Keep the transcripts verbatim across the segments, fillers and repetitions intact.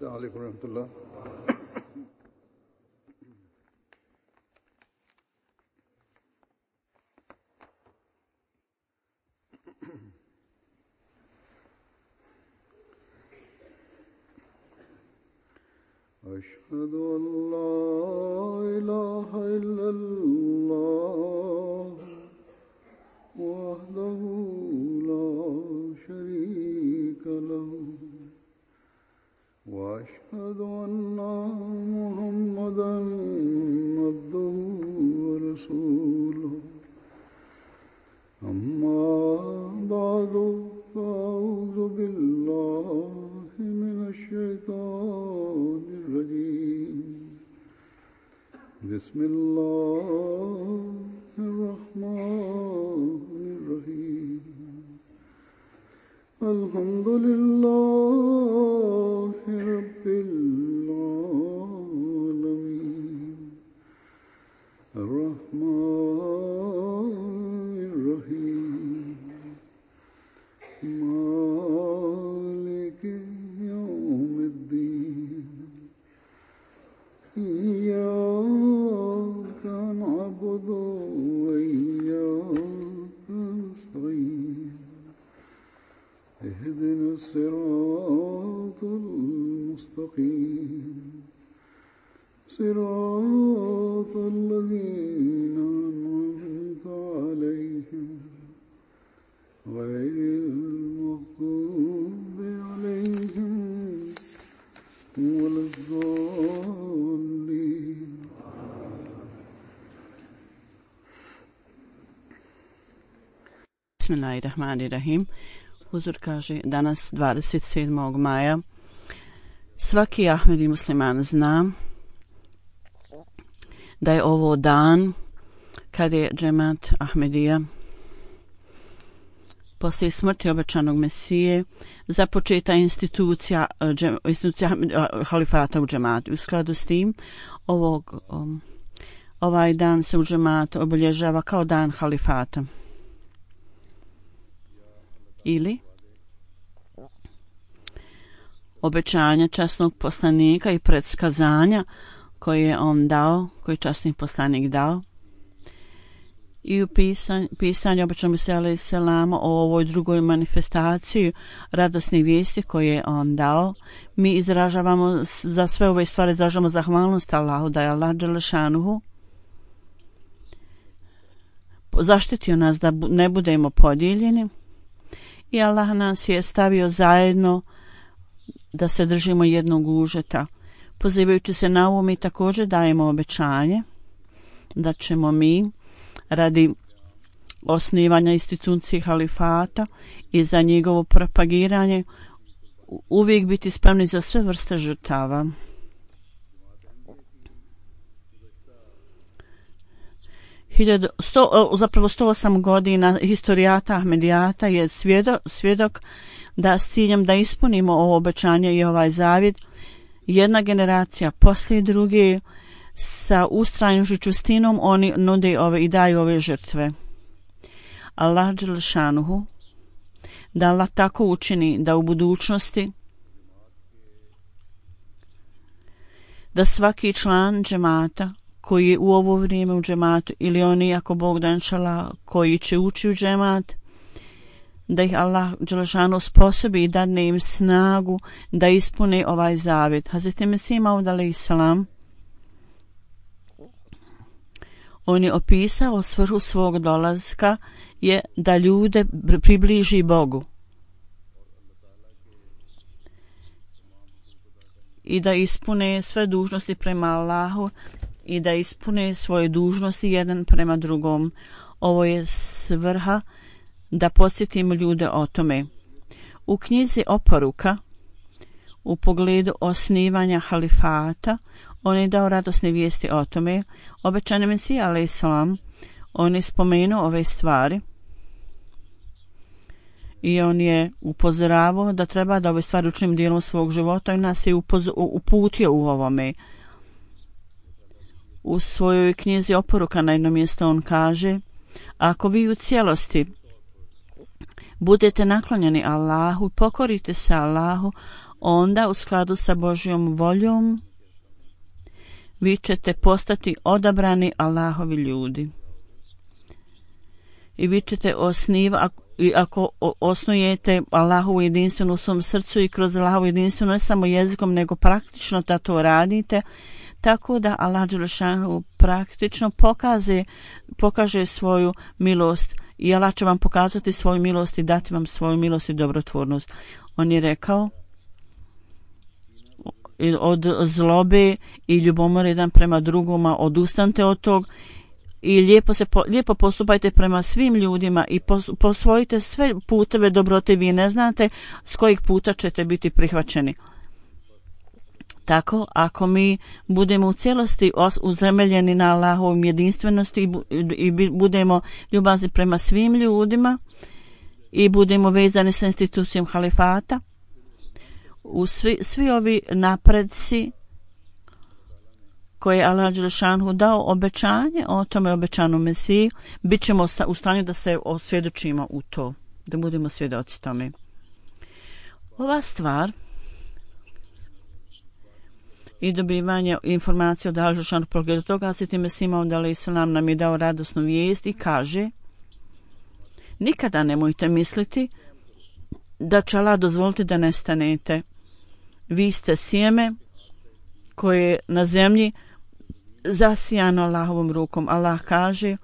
السلام عليكم ورحمة الله. أشهد أن لا إله إلا الله وحده لا شريك له وأشهد أن محمدًا عبده ورسوله أما بعد فأعوذ بالله من الشيطان الرجيم بسم الله الرحمن الرحيم الحمد لله رب العالمين الرحمن الرحيم مالك يوم الدين إياك نعبد وإياك نستعين اهدنا الصراط المستقيم صراط الذين أنعمت عليهم غير المغضوب عليهم ولا الضالين. Bismillahirrahmanirrahim. Huzur kaže danas dvadeset sedmog maja. Svaki Ahmedi musliman zna da je ovo dan kad je džemat Ahmedija poslije smrti obećanog Mesije započeta institucija, džem, institucija halifata u džematu. U skladu s tim ovog, um, ovaj dan se u džematu obilježava kao dan halifata. Ili obećanja časnog poslanika i predskazanja koje je on dao, koji je časni poslanik dao. I u pisanju, pisanju obećanog se alejhi selama o ovoj drugoj manifestaciji radosne vijesti koje je on dao, mi izražavamo za sve ove stvari, izražavamo zahvalnost Allahu da je Allah dželešanuhu zaštitio nas da ne budemo podijeljeni i Allah nas je stavio zajedno da se držimo jednog užeta. Pozivajući se na ovo, mi također dajemo obećanje da ćemo mi radi osnivanja institucije halifata i za njegovo propagiranje uvijek biti spremni za sve vrste žrtava. Hiljadu, sto, zapravo sto osam godina historijata Ahmedijata je svjedok, svjedok da s ciljem da ispunimo ovo obećanje i ovaj zavjet, jedna generacija poslije druge sa ustrajnošću čustinom oni nude ove i daju ove žrtve. Allah dželešanuhu da Allah tako učini da u budućnosti da svaki član džemata koji je u ovo vrijeme u džematu ili oni ako Bog da inšala koji će ući u džemat, da ih Allah dželešanuhu sposobi i dadne im snagu da ispune ovaj zavjet. Hazreti Mesih Maud alejhi selam on je opisao svrhu svog dolaska je da ljude približi Bogu i da ispune sve dužnosti prema Allahu i da ispune svoje dužnosti jedan prema drugom. Ovo je svrha da podsjetimo ljude o tome. U knjizi Oporuka u pogledu osnivanja halifata on je dao radosne vijesti o tome. Obećani Mesija alejhi selam on je spomenuo ove stvari i on je upozoravao da treba da ove stvari učinimo dijelom svog života i nas je upoz- uputio u ovome. U svojoj knjizi Oporuka na jednom mjestu on kaže: ako vi u cijelosti budete naklonjeni Allahu, pokorite se Allahu, onda u skladu sa Božjom voljom vi ćete postati odabrani Allahovi ljudi. I vi ćete osniva, ako osnujete Allahovu jedinstvenu u svom srcu i kroz Allahovu jedinstvenu ne samo jezikom, nego praktično da to radite, tako da Allah dželešanu praktično pokaže, pokaže svoju milost i Allah će vam pokazati svoju milost i dati vam svoju milost i dobrotvornost. On je rekao od zlobe i ljubomore jedan prema drugoma, odustanite od tog i lijepo, se, lijepo postupajte prema svim ljudima i posvojite sve puteve dobrote. Vi ne znate s kojeg puta ćete biti prihvaćeni. Tako, ako mi budemo u cijelosti utemeljeni na Allahovom jedinstvenosti i budemo ljubazni prema svim ljudima i budemo vezani sa institucijom halifata, u svi, svi ovi napredci koje je Allah dželešanu dao obećanje o tome obećanom Mesiji, bit ćemo u stanju da se osvjedočimo u to, da budemo svjedoci tome. Ova stvar i dobivanje informacije od Allah dželešanu pogledu toga, Hazreti Mesih Maud alejhi selam nam je dao radosnu vijest i kaže: nikada nemojte misliti da će Allah dozvoliti da nestanete. Vi ste sjeme koje je na zemlji zasijano Allahovom rukom. Allah kaže: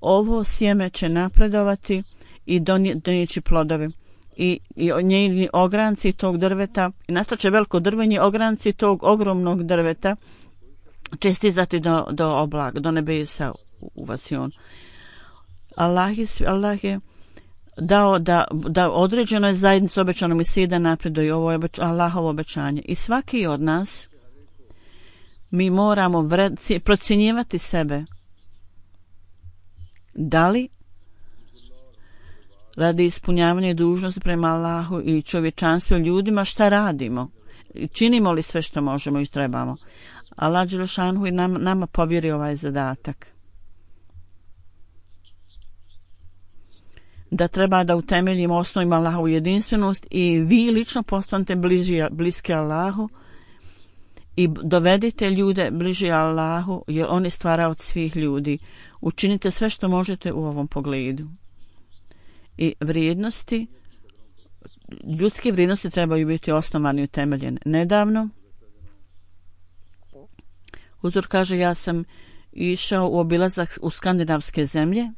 ovo sjeme će napredovati i donijeći plodove. I, i njeni ogranci tog drveta, i nastaće veliko drvenje, ogranci tog ogromnog drveta će stizati do, do oblaga, do nebesa u Vasion. Allah je, Allah je dao da, da određenoj zajednici obećano Mesiji da napreduje. Ovo je obeč, Allahovo obećanje. I svaki od nas mi moramo vred, procjenjivati sebe. Da li radi ispunjavanja dužnosti prema Allahu i čovječanstvu ljudima šta radimo? Činimo li sve što možemo i trebamo? Allah dželešanu je nam, nama povjerio ovaj zadatak. Da treba da utemeljimo osnovima Allahovu jedinstvenost i vi lično postanete bliži, bliski Allahu i dovedite ljude bliži Allahu, jer on je stvara od svih ljudi. Učinite sve što možete u ovom pogledu. I vrijednosti, ljudske vrijednosti trebaju biti osnovane i utemeljene. Nedavno Huzur kaže, ja sam išao u obilazak u skandinavske zemlje.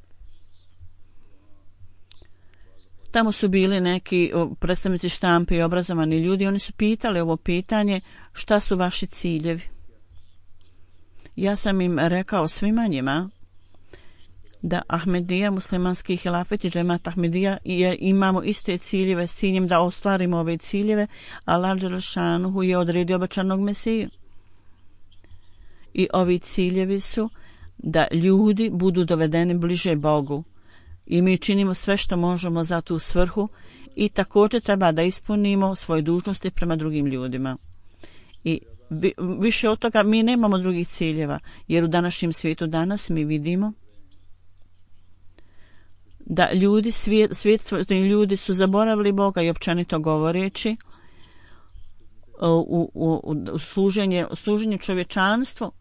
Tamo su bili neki predstavnici štampe i obrazovani ljudi. Oni su pitali ovo pitanje: šta su vaši ciljevi? Ja sam im rekao svima njima da Ahmedija, muslimanski hilafet i džemat Ahmedija je, imamo iste ciljeve s ciljem da ostvarimo ove ciljeve. Allah dželešanu je odredio obećanog Mesiju. I ovi ciljevi su da ljudi budu dovedeni bliže Bogu. I mi činimo sve što možemo za tu svrhu i također treba da ispunimo svoje dužnosti prema drugim ljudima. I više od toga mi nemamo drugih ciljeva, jer u današnjem svijetu danas mi vidimo da ljudi, svijet, svijetni ljudi su zaboravili Boga i općenito govoreći u, u, u služenje, služenje čovječanstvu.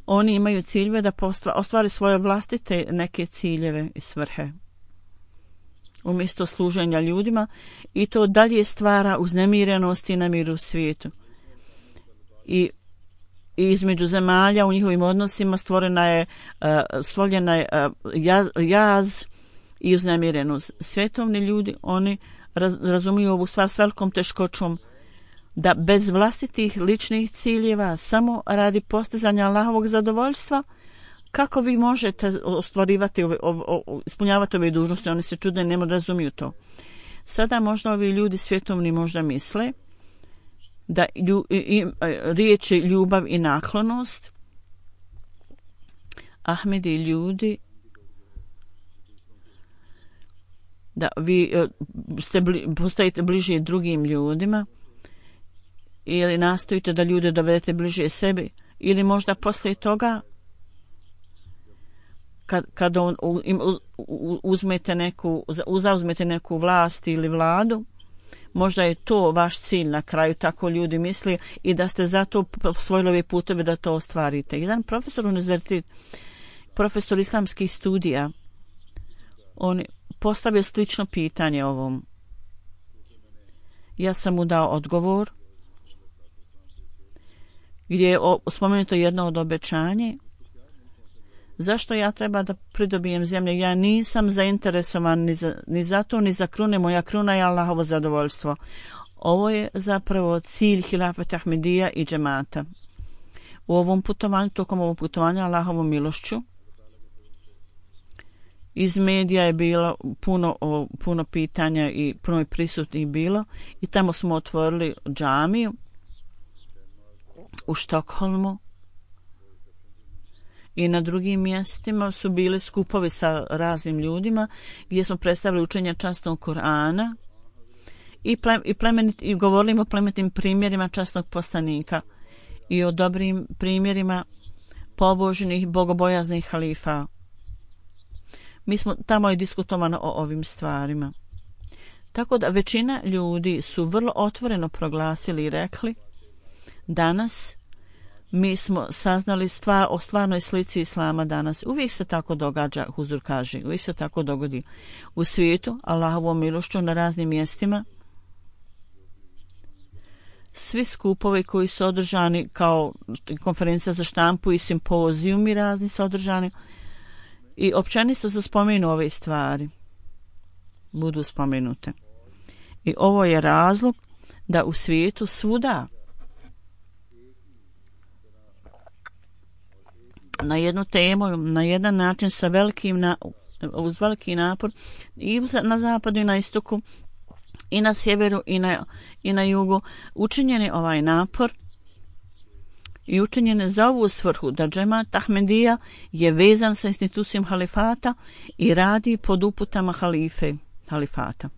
Oni imaju ciljeve da ostvari svoje vlastite neke ciljeve i svrhe umjesto služenja ljudima, i to dalje stvara uznemirenost i nemir u svijetu. I, i između zemalja u njihovim odnosima stvorena je, uh, stvorena je uh, jaz, jaz i uznemirenost. Svjetovni ljudi, oni raz, razumiju ovu stvar s velikom teškoćom, da bez vlastitih ličnih ciljeva, samo radi postizanja Allahovog zadovoljstva, kako vi možete ostvarivati, ove, o, o, ispunjavati ove dužnosti? Oni se čude, ne razumiju to. Sada možda ovi ljudi svjetovni možda misle da lju, i, i, riječi ljubav i naklonost, Ahmedi ljudi, da vi ste bli, postajete bliži drugim ljudima, ili nastojite da ljude dovedete bliže sebi, ili možda poslije toga kad, kad on, u, u, uzmete neku, zauzmete neku vlast ili vladu, možda je to vaš cilj na kraju, tako ljudi misli, i da ste zato osvojili ove puteve da to ostvarite. Jedan profesor univerzitet, profesor islamskih studija, on postavio slično pitanje ovom. Ja sam mu dao odgovor gdje je spomenuto jedno od obećanje. Zašto ja treba da pridobijem zemlje? Ja nisam zainteresovan ni za, ni za to, ni za krune. Moja kruna je Allahovo zadovoljstvo. Ovo je zapravo cilj Hilafet Ahmedija i džemata. U ovom putovanju, tokom ovog putovanja Allahovom milošću, iz medija je bilo puno, o, puno pitanja i puno je prisutnih bilo i tamo smo otvorili džamiju u Štokholmu i na drugim mjestima su bili skupovi sa raznim ljudima gdje smo predstavili učenje časnog Kur'ana i, ple, i, plemenit, i govorili o plemenitim primjerima časnog poslanika i o dobrim primjerima pobožnih, bogobojaznih halifa. Mi smo tamo je diskutovano o ovim stvarima. Tako da većina ljudi su vrlo otvoreno proglasili i rekli danas mi smo saznali stvar o stvarnoj slici islama danas. Uvijek se tako događa, Huzur kaže, uvijek se tako dogodi u svijetu, Allahovom milošću na raznim mjestima. Svi skupovi koji su održani kao konferencija za štampu i simpozijumi razni su održani i općenito se spomenu ove stvari. Budu spomenute. I ovo je razlog da u svijetu svuda na jednu temu, na jedan način sa velikim na, uz veliki napor i na zapadu i na istoku i na sjeveru i na, i na jugu učinjen je ovaj napor i učinjen je za ovu svrhu da džemat Ahmedija je vezan sa institucijom halifata i radi pod uputama halife, halifata.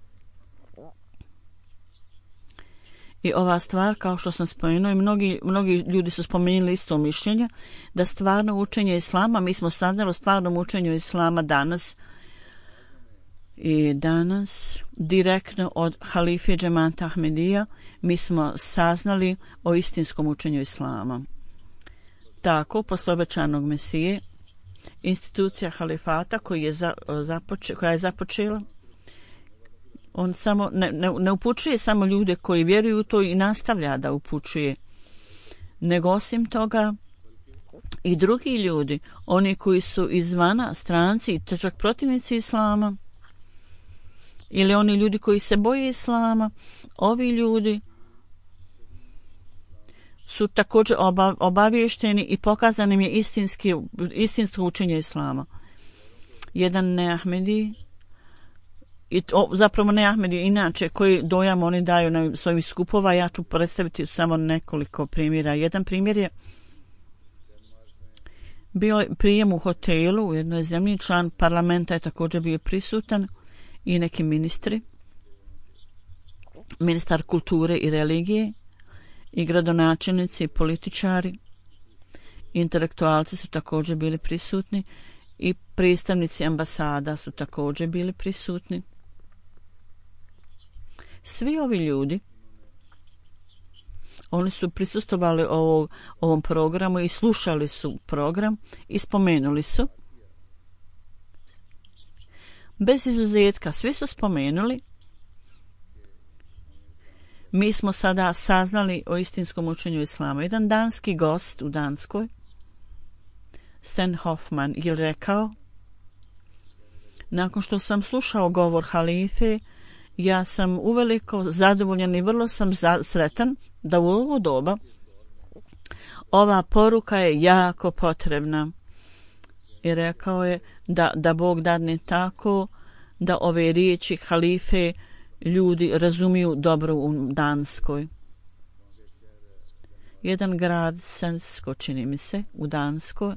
I ova stvar, kao što sam spomenuo, i mnogi, mnogi ljudi su spomenuli isto mišljenje, da stvarno učenje islama, mi smo saznali o stvarnom učenju islama danas i danas direktno od halife džemata Ahmedija mi smo saznali o istinskom učenju islama. Tako, posle obećanog Mesije, institucija halifata koji je za, započe, koja je započela, on samo ne, ne, ne upućuje samo ljude koji vjeruju u to i nastavlja da upućuje, nego osim toga i drugi ljudi, oni koji su izvana, stranci i čak protivnici islama, ili oni ljudi koji se boje islama, ovi ljudi su također oba, obavješteni i pokazani im je istinski, istinsko učenje islama. Jedan neahmedi, i to, zapravo ne Ahmedi, inače koji dojam oni daju na svojim skupova, ja ću predstaviti samo nekoliko primjera. Jedan primjer je bio prijem u hotelu u jednoj zemlji, član parlamenta je također bio prisutan i neki ministri, ministar kulture i religije i gradonačelnici i političari, intelektualci su također bili prisutni i predstavnici ambasada su također bili prisutni. Svi ovi ljudi, oni su prisustvovali ovo, ovom programu i slušali su program i spomenuli su. Bez izuzetka, svi su spomenuli. Mi smo sada saznali o istinskom učenju islama. Jedan danski gost u Danskoj, Sten Hoffman, je rekao, nakon što sam slušao govor halife, ja sam uveliko zadovoljan i vrlo sam za, sretan da u ovo doba ova poruka je jako potrebna. I rekao je da, da Bog dadne tako da ove riječi halife ljudi razumiju dobro u Danskoj. Jedan grad, Sensko, čini mi se, u Danskoj,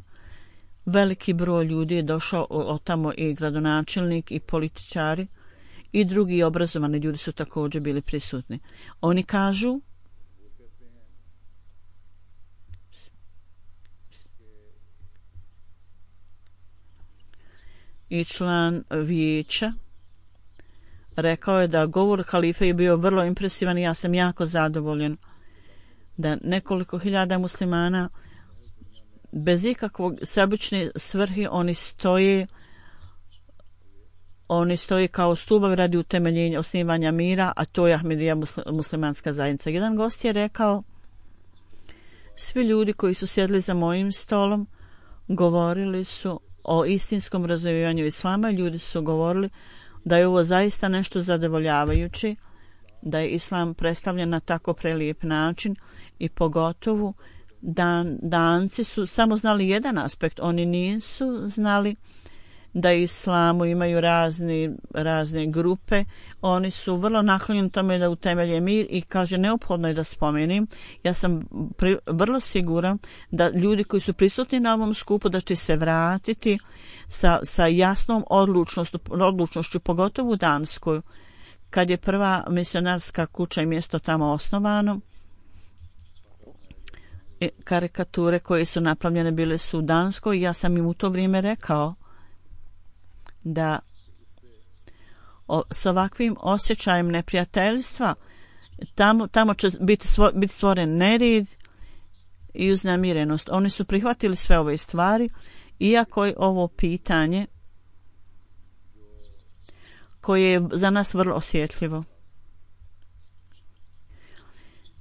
veliki broj ljudi je došao od tamo i gradonačelnik i političari i drugi obrazovani ljudi su također bili prisutni. Oni kažu i član vijeća, rekao je da govor halife je bio vrlo impresivan i ja sam jako zadovoljen da nekoliko hiljada muslimana bez ikakvog sebične svrhe oni stoje oni stoje kao stubovi radi utemeljenja osnivanja mira, a to je Ahmedija muslimanska zajednica. Jedan gost je rekao, svi ljudi koji su sjedli za mojim stolom govorili su o istinskom razvijanju islama, ljudi su govorili da je ovo zaista nešto zadovoljavajuće, da je islam predstavljen na tako prelijep način i pogotovo dan, danci su samo znali jedan aspekt, oni nisu znali da islamu imaju razne, razne grupe, oni su vrlo naklonjeni tome da utemelje mir i kaže neophodno je da spomenim, ja sam pri, vrlo siguran da ljudi koji su prisutni na ovom skupu da će se vratiti sa, sa jasnom odlučnošću, odlučnošću pogotovo u Danskoj, kad je prva misionarska kuća i mjesto tamo osnovano. I karikature koje su napravljene bile su u Danskoj, ja sam im u to vrijeme rekao da o, s ovakvim osjećajem neprijateljstva tamo, tamo će biti, svo, biti stvoren nered i uznemirenost. Oni su prihvatili sve ove stvari, iako je ovo pitanje koje je za nas vrlo osjetljivo.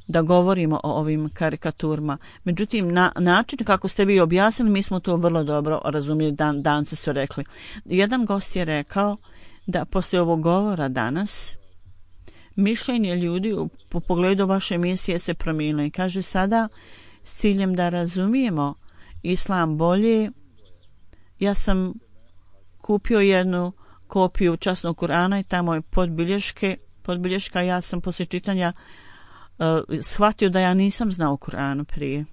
Da govorimo o ovim karikaturama. Međutim, na način kako ste vi objasnili, mi smo to vrlo dobro razumjeli, dan, danci su rekli. Jedan gost je rekao da poslije ovog govora danas mišljenje ljudi u, u pogledu vaše misije se promijenilo i kaže sada s ciljem da razumijemo islam bolje, ja sam kupio jednu kopiju časnog Kur'ana i tamo je podbilješke, podbilješka, ja sam poslije čitanja Uh, shvatio da ja nisam znao Kur'anu prije.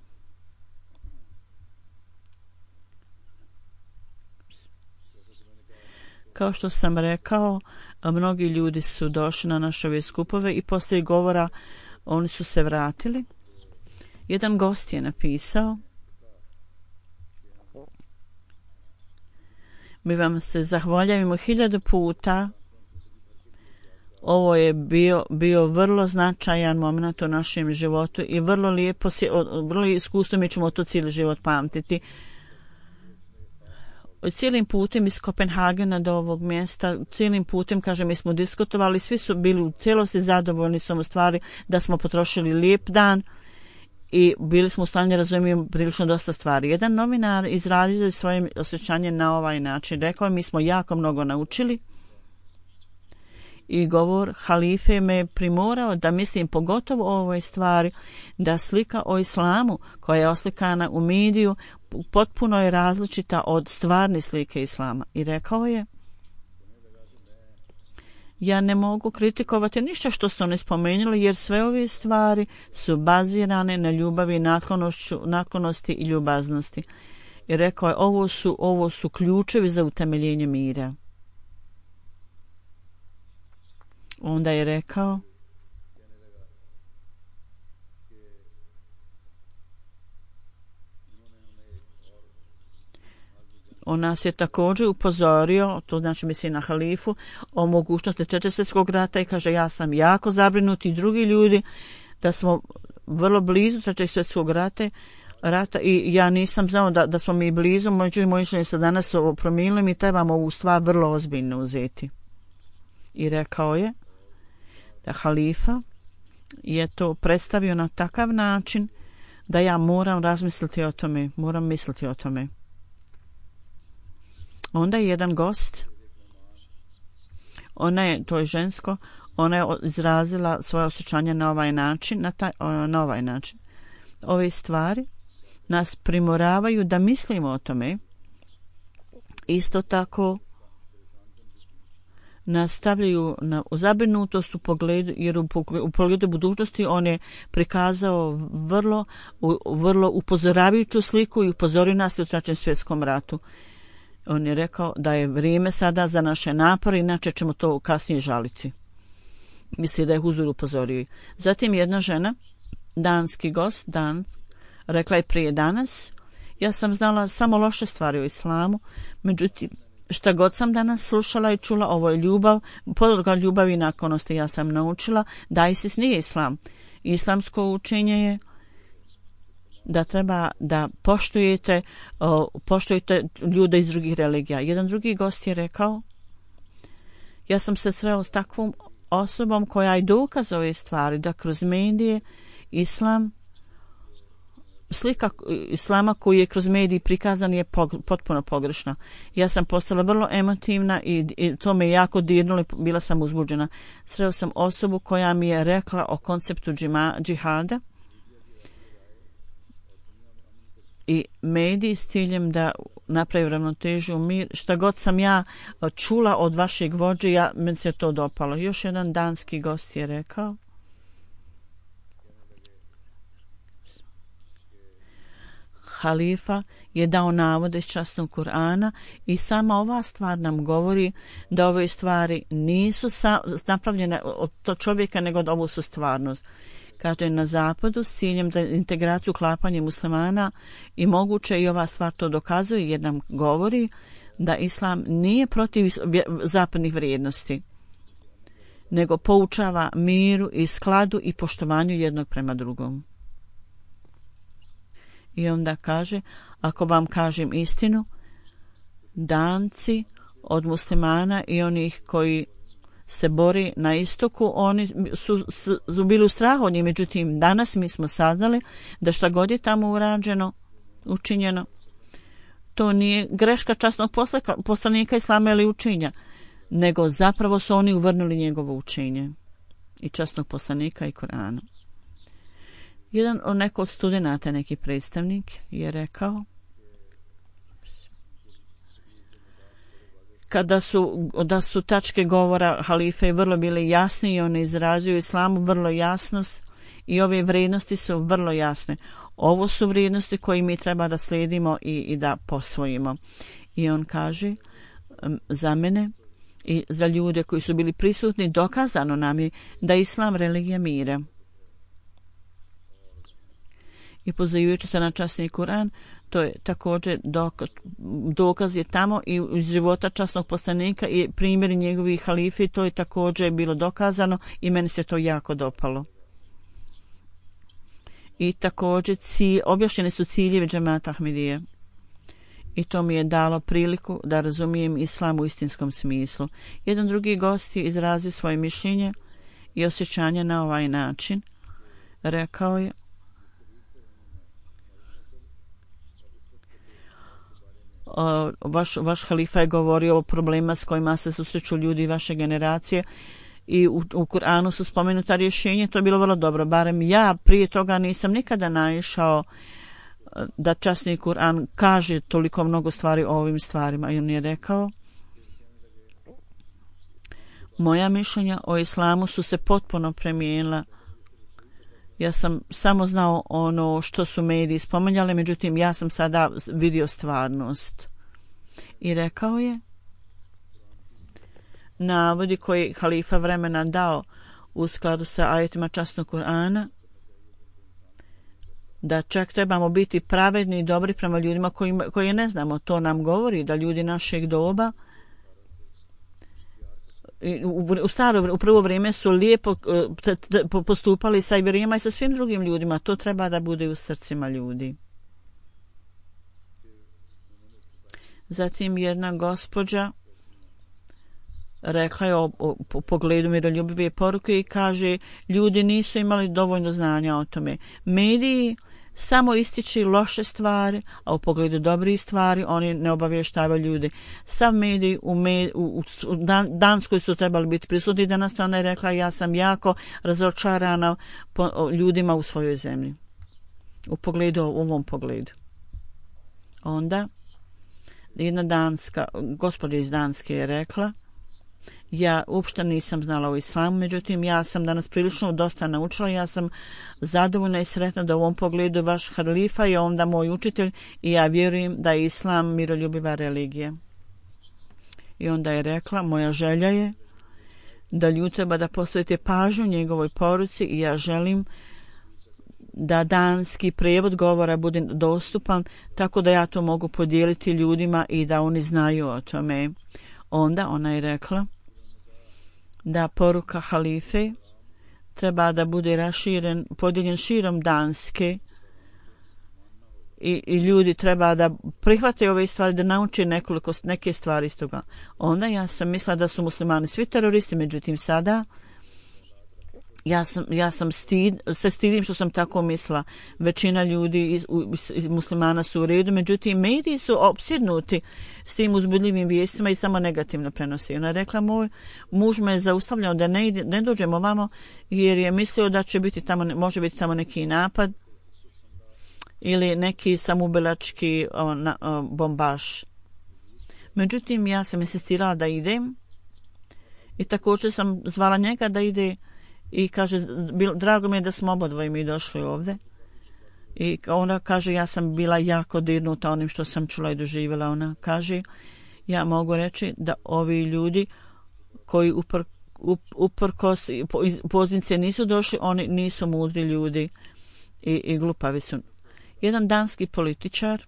Kao što sam rekao, mnogi ljudi su došli na naše ove skupove i poslije govora oni su se vratili. Jedan gost je napisao, mi vam se zahvaljujemo hiljadu puta. Ovo je bio, bio vrlo značajan moment u našem životu i vrlo lijepo, vrlo iskustvo, mi ćemo to cijeli život pamtiti. Cijelim putem iz Kopenhagena do ovog mjesta, cijelim putem, kažem, mi smo diskutovali, svi su bili u cijelosti zadovoljni samo stvari da smo potrošili lijep dan i bili smo u stanju razumijemo prilično dosta stvari. Jedan novinar izrazio svoje osjećanje na ovaj način. Rekao je, mi smo jako mnogo naučili i govor halife me primorao da mislim pogotovo o ovoj stvari, da slika o islamu koja je oslikana u mediju potpuno je različita od stvarne slike islama. I rekao je, ja ne mogu kritikovati ništa što su oni spomenuli, jer sve ove stvari su bazirane na ljubavi, naklonosti i ljubaznosti. I rekao je, ovo su, ovo su ključevi za utemeljenje mira. Onda je rekao, on nas je također upozorio, to znači misli na halifu, o mogućnosti Trećeg svjetskog rata i kaže, ja sam jako zabrinut i drugi ljudi da smo vrlo blizu Trećeg svjetskog rata, rata i ja nisam znao da, da smo mi blizu, međutim moji članovi se danas ovo promijenili, mi trebamo ovu stvar vrlo ozbiljno uzeti. I rekao je da halifa je to predstavio na takav način da ja moram razmisliti o tome, moram misliti o tome. Onda je jedan gost, ona je, to je žensko, ona je izrazila svoje osjećanje na ovaj način, na, taj, na ovaj način. Ove stvari nas primoravaju da mislimo o tome. Isto tako nas stavljaju na zabrinutost u pogledu, jer u pogledu, u pogledu budućnosti on je prikazao vrlo, u, vrlo upozoravajuću sliku i upozorio nas u Trećem svjetskom ratu. On je rekao da je vrijeme sada za naše napore, inače ćemo to kasnije žaliti. Misli da je Huzur upozorio. Zatim jedna žena, danski gost, dan, rekla je prije danas, ja sam znala samo loše stvari o islamu, međutim, Šta god sam danas slušala i čula, ovo je ljubav, podloga ljubavi i naklonosti. Ja sam naučila da ISIS nije islam. Islamsko učenje je da treba da poštujete, o, poštujete ljude iz drugih religija. Jedan drugi gost je rekao, ja sam se sreo s takvom osobom koja i dokaz ove stvari, da kroz medije islam, slika islama koji je kroz mediji prikazan je pog, potpuno pogrešna. Ja sam postala vrlo emotivna i, i to me jako dirnulo i bila sam uzbuđena. Sreo sam osobu koja mi je rekla o konceptu džima, džihada i mediji s ciljem da napravi ravnotežu mir. Šta god sam ja čula od vašeg vođe, ja, meni se to dopalo. Još jedan danski gost je rekao, halifa je dao navode iz časnog Kur'ana i sama ova stvar nam govori da ove stvari nisu sa, napravljene od to čovjeka, nego da ovo su stvarnost. Kaže, na zapadu s ciljem da integraciju uklapanje muslimana i moguće i ova stvar to dokazuje jer nam govori da islam nije protiv zapadnih vrijednosti, nego poučava miru i skladu i poštovanju jednog prema drugom. I onda kaže, ako vam kažem istinu, Danci od muslimana i onih koji se bori na istoku, oni su, su, su bili u strahu od njih. Međutim, danas mi smo saznali da šta god je tamo urađeno, učinjeno, to nije greška časnog poslanika, poslanika islama ili učinja, nego zapravo su oni uvrnuli njegovo učenje i časnog poslanika i Kur'ana. Jedan od neko od studenata, neki predstavnik, je rekao, kada su, da su tačke govora halife vrlo bile jasne i on izrazio islamu vrlo jasnost i ove vrijednosti su vrlo jasne. Ovo su vrijednosti koje mi treba da slijedimo i, i da posvojimo. I on kaže, za mene i za ljude koji su bili prisutni, dokazano nam je da je islam religija mira. I pozivajući se na časni Kur'an, to je također dokaz, dokaz je tamo i iz života časnog poslanika i primjeri njegovih halifi, to je također bilo dokazano i meni se to jako dopalo. I također cilj, objašnjeni su ciljevi džemata Ahmedije. I to mi je dalo priliku da razumijem islam u istinskom smislu. Jedan drugi gost je izrazio svoje mišljenje i osjećanje na ovaj način. Rekao je, vaš, vaš halifa je govorio o problema s kojima se susreću ljudi vaše generacije i u, u Kur'anu su spomenuta rješenje, to je bilo vrlo dobro. Barem ja prije toga nisam nikada naišao da časni Kur'an kaže toliko mnogo stvari o ovim stvarima. I on je rekao, moja mišljenja o islamu su se potpuno promijenila. Ja sam samo znao ono što su mediji spominjali, međutim ja sam sada vidio stvarnost. I rekao je, navodi koji halifa vremena dao u skladu sa ajetima časnog Kur'ana, da čak trebamo biti pravedni i dobri prema ljudima koji, koji ne znamo. To nam govori da ljudi našeg doba u, u staro, u prvo vrijeme su lijepo t, t, postupali sa Iberijama i sa svim drugim ljudima. To treba da bude u srcima ljudi. Zatim jedna gospođa rekla je o, o, o pogledu miroljubive poruke i kaže, ljudi nisu imali dovoljno znanja o tome. Mediji samo ističi loše stvari, a u pogledu dobrih stvari oni ne obavještavaju ljudi. Sav mediji u, med, u, u Dan, Danskoj su trebali biti prisutni. Danas ona je rekla, ja sam jako razočarana po, o, ljudima u svojoj zemlji. U pogledu, u ovom pogledu. Onda jedna danska, gospođa iz Danske je rekla, ja uopšte nisam znala o islamu, međutim ja sam danas prilično dosta naučila, ja sam zadovoljna i sretna da u ovom pogledu vaš halifa je onda moj učitelj i ja vjerujem da je islam miroljubiva religija. I onda je rekla, moja želja je da ljudi treba da posvetite pažnju njegovoj poruci i ja želim da danski prijevod govora bude dostupan, tako da ja to mogu podijeliti ljudima i da oni znaju o tome. Onda ona je rekla da poruka halife treba da bude raširen, podijeljen širom Danske i, i ljudi treba da prihvate ove stvari, da nauče nekoliko, neke stvari iz toga. Onda ja sam mislila da su muslimani svi teroristi, međutim sada ja sam, ja sam stid, se stidim što sam tako mislila. Većina ljudi iz, iz, iz muslimana su u redu, međutim mediji su opsjednuti s tim uzbudljivim vijestima i samo negativno prenosi. Ona je rekla, moj muž me je zaustavljao da ne, ide, ne dođemo vamo jer je mislio da će biti tamo, može biti tamo neki napad ili neki samoubilački o, na, o, bombaš. Međutim, ja sam insistirala da idem i također sam zvala njega da ide i kaže, drago mi je da smo obodvoje mi došli ovdje. I ona kaže, ja sam bila jako dirnuta onim što sam čula i doživjela. Ona kaže, ja mogu reći da ovi ljudi koji upr, up, uprkos poznice nisu došli, oni nisu mudri ljudi i, i glupavi su. Jedan danski političar,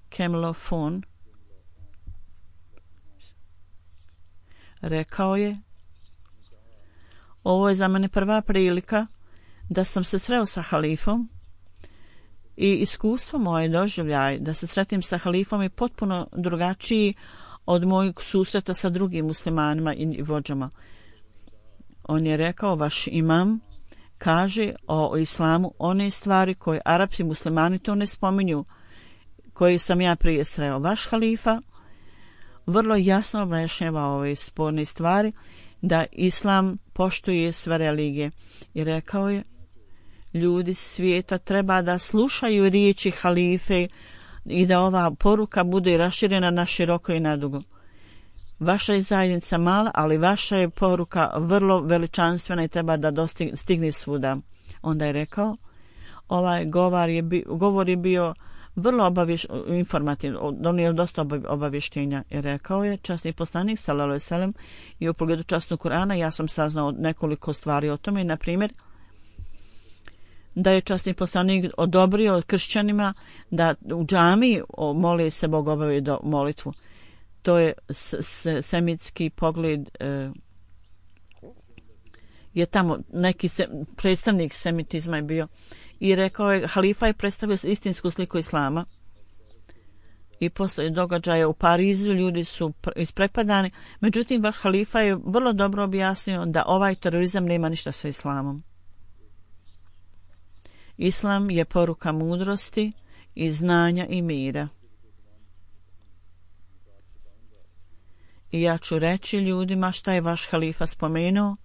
Kemlo Fon, rekao je, ovo je za mene prva prilika da sam se sreo sa halifom i iskustvo moje doživljaj da se sretim sa halifom je potpuno drugačiji od mojeg susreta sa drugim muslimanima i vođama. On je rekao, vaš imam kaže o, o islamu one stvari koje Arapsi muslimani to ne spominju, koje sam ja prije sreo. Vaš halifa vrlo jasno objašnjava ove sporne stvari, da islam poštuje sve religije. I rekao je, ljudi svijeta treba da slušaju riječi halife i da ova poruka bude raširena na široko i nadugo. Vaša je zajednica mala, ali vaša je poruka vrlo veličanstvena i treba da dostigne, stigne svuda. Onda je rekao, ovaj govor je, bi, govor je bio vrlo obaviš, informativno, donio je dosta obavještenja. I rekao je, časni poslanik, sallallahu alejhi ve sellem, i u pogledu časnog Kur'ana ja sam saznao nekoliko stvari o tome, na primjer, da je časni poslanik odobrio kršćanima da u džamiji moli se Bog obavi do molitvu. To je s, s, semitski pogled, e, je tamo neki se, predstavnik semitizma je bio i rekao je, halifa je predstavio istinsku sliku islama i posle događaja u Parizu ljudi su isprepadani, međutim vaš halifa je vrlo dobro objasnio da ovaj terorizam nema ništa sa islamom. Islam je poruka mudrosti i znanja i mira. I ja ću reći ljudima šta je vaš halifa spomenuo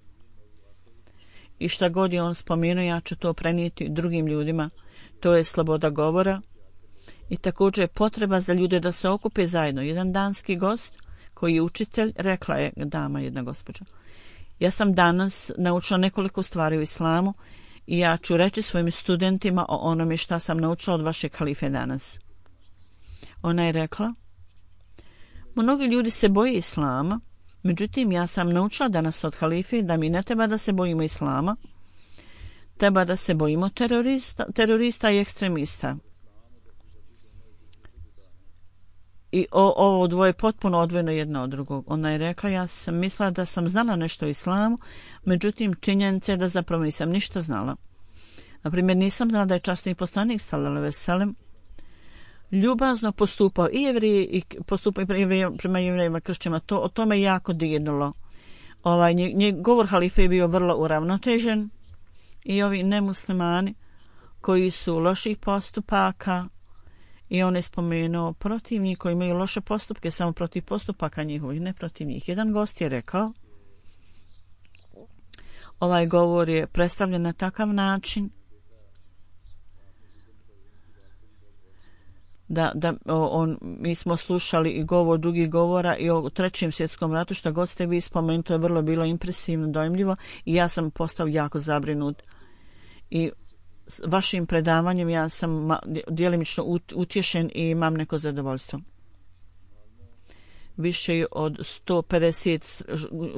i šta god je on spomenuo, ja ću to prenijeti drugim ljudima. To je sloboda govora i također je potreba za ljude da se okupe zajedno. Jedan danski gost koji je učitelj, rekla je dama, jedna gospođa, ja sam danas naučila nekoliko stvari u islamu i ja ću reći svojim studentima o onome šta sam naučila od vašeg halife danas. Ona je rekla, mnogi ljudi se boje islama, međutim ja sam naučila danas od halife da mi ne treba da se bojimo islama, treba da se bojimo terorista, terorista i ekstremista. I o, ovo dvoje potpuno odvojeno jedno od drugog. Ona je rekla, ja sam mislila da sam znala nešto o islamu, međutim činjenica je da zapravo nisam ništa znala. Naprimjer, nisam znala da je časni poslanik sallallahu alejhi ve sellem ljubazno postupao i jevrije i postupao i prema jevrejima kršćanima. To, o tome jako dirnulo. Ovaj, nje, nje, govor halife je bio vrlo uravnotežen i ovi nemuslimani koji su loših postupaka i on je spomenuo protiv njih koji imaju loše postupke, samo protiv postupaka njihovih, ne protiv njih. Jedan gost je rekao, ovaj govor je predstavljen na takav način da, da on, mi smo slušali i govor drugih govora i o trećem svjetskom ratu, što god ste vi spomenuli, to je vrlo bilo impresivno, dojmljivo i ja sam postao jako zabrinut. I s vašim predavanjem ja sam djelimično utješen i imam neko zadovoljstvo. više od sto pedeset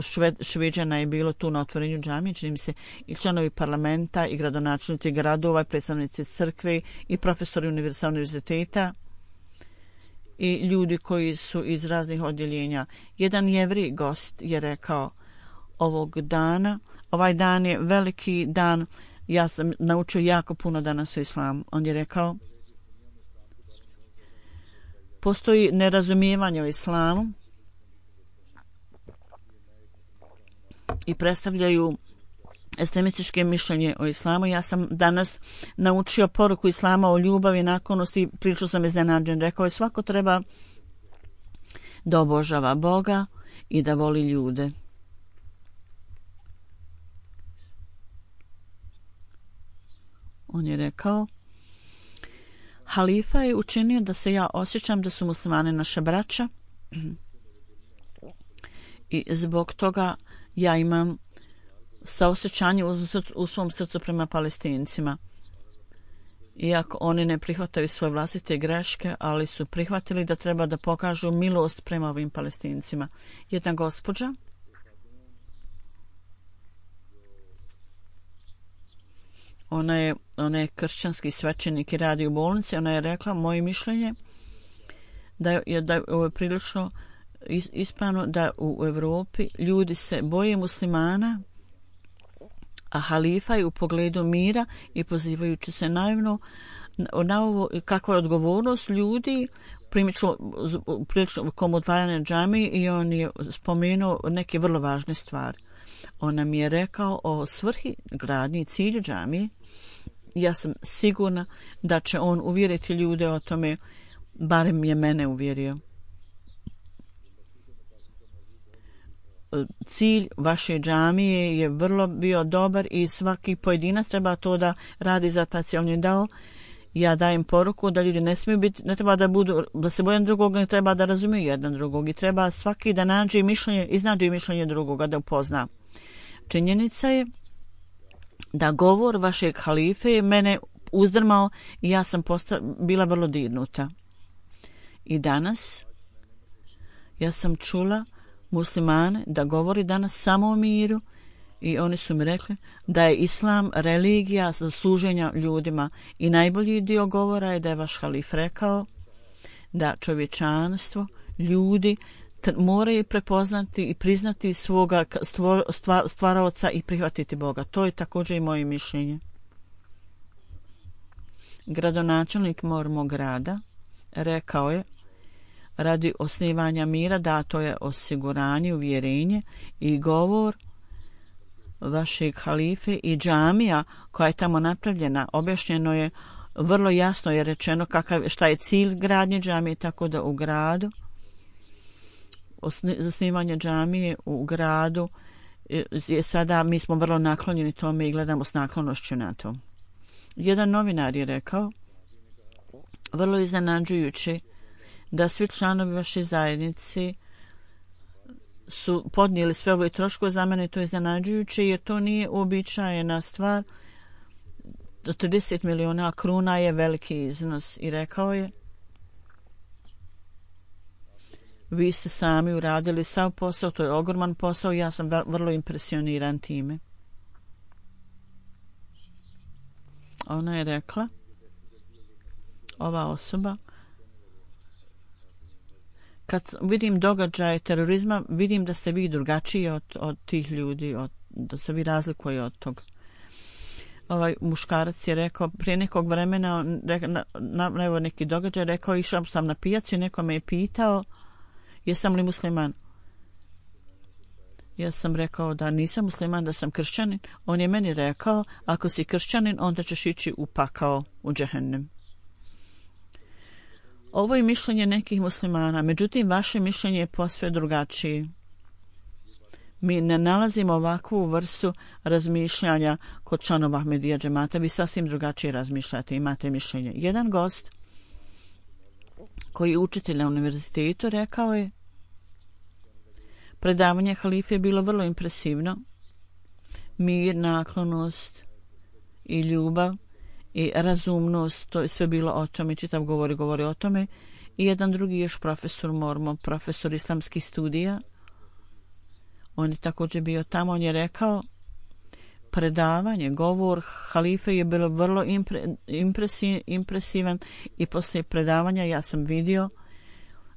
šved, Šveđana je bilo tu na otvorenju džamije, čini mi se i članovi parlamenta i gradonačelnici gradova, i predstavnici crkve i profesori univerziteta i ljudi koji su iz raznih odjeljenja. Jedan jevri gost je rekao ovog dana, ovaj dan je veliki dan, ja sam naučio jako puno danas o islamu. On je rekao, postoji nerazumijevanje o islamu i predstavljaju ekstremističke mišljenje o islamu. Ja sam danas naučio poruku islama o ljubavi, naklonosti i prilično sam iznenađen. Rekao je, svako treba da obožava Boga i da voli ljude. On je rekao, halifa je učinio da se ja osjećam da su muslimani naša braća i zbog toga ja imam saosjećanje u, u svom srcu prema Palestincima. Iako oni ne prihvataju svoje vlastite greške, ali su prihvatili da treba da pokažu milost prema ovim Palestincima. Jedna gospođa Ona je, ona je kršćanski svećenik i radi u bolnici. Ona je rekla, moje mišljenje da je, da je prilično ispravno da u Evropi ljudi se boje muslimana, a halifa je u pogledu mira i pozivajući se naivno na ovo kakva je odgovornost ljudi prilično komodvarane džamije i on je spomenuo neke vrlo važne stvari. On nam je rekao o svrhi gradnje i cilju džamije. Ja sam sigurna da će on uvjeriti ljude o tome, barem je mene uvjerio. Cilj vaše džamije je vrlo bio dobar i svaki pojedinac treba to da radi za taj cilj. On je dao, ja dajem poruku da ljudi ne smiju biti, ne treba da budu, da se boje drugog, ne treba da razumiju jedan drugog i treba svaki da nađe mišljenje, iznađe mišljenje drugoga, da upozna. Činjenica je da govor vašeg halife je mene uzdrmao i ja sam posta, bila vrlo dirnuta. I danas ja sam čula muslimane da govori danas samo o miru i oni su mi rekli da je islam religija za služenja ljudima i najbolji dio govora je da je vaš halif rekao da čovječanstvo, ljudi moraju prepoznati i priznati svoga stvor, stvar, stvaraoca i prihvatiti Boga. To je također i moje mišljenje. Gradonačelnik mog grada rekao je, radi osnivanja mira dato je osiguranje, uvjerenje i govor vašeg halife i džamija koja je tamo napravljena. Objašnjeno je, vrlo jasno je rečeno kakav, šta je cilj gradnje džamije, tako da u gradu zasnivanje džamije u gradu je sada, mi smo vrlo naklonjeni tome i gledamo s naklonošću na to. Jedan novinar je rekao, vrlo iznenađujući da svi članovi vaše zajednice su podnijeli sve ove troškove. Za mene to je iznenađujuće jer to nije uobičajena stvar. trideset miliona kruna je veliki iznos i rekao je, vi ste sami uradili sav posao, to je ogroman posao i ja sam vrlo impresioniran time. Ona je rekla, ova osoba, kad vidim događaje terorizma, vidim da ste vi drugačiji od, od tih ljudi, od, da se vi razlikuje od toga. Ovaj muškarac je rekao, prije nekog vremena, na, na, na, evo neki događaj, rekao, išao sam na pijacu i neko me je pitao, jesam li musliman? Ja sam rekao da nisam musliman, da sam kršćanin. On je meni rekao, ako si kršćanin, onda ćeš ići u pakao, u džehennem. Ovo je mišljenje nekih muslimana, međutim, vaše mišljenje je posve drugačije. Mi ne nalazimo ovakvu vrstu razmišljanja kod članova Ahmedija džemata, vi sasvim drugačije razmišljate, imate mišljenje. Jedan gost koji je učitelj na univerzitetu rekao je, predavanje halife je bilo vrlo impresivno. Mir, naklonost i ljubav i razumnost, to je sve bilo o tome, čitav govori govori o tome i jedan drugi još profesor Mormon, profesor islamskih studija. On je također bio tamo, on je rekao predavanje, govor halife je bilo vrlo impre, impresi, impresivan i poslije predavanja ja sam vidio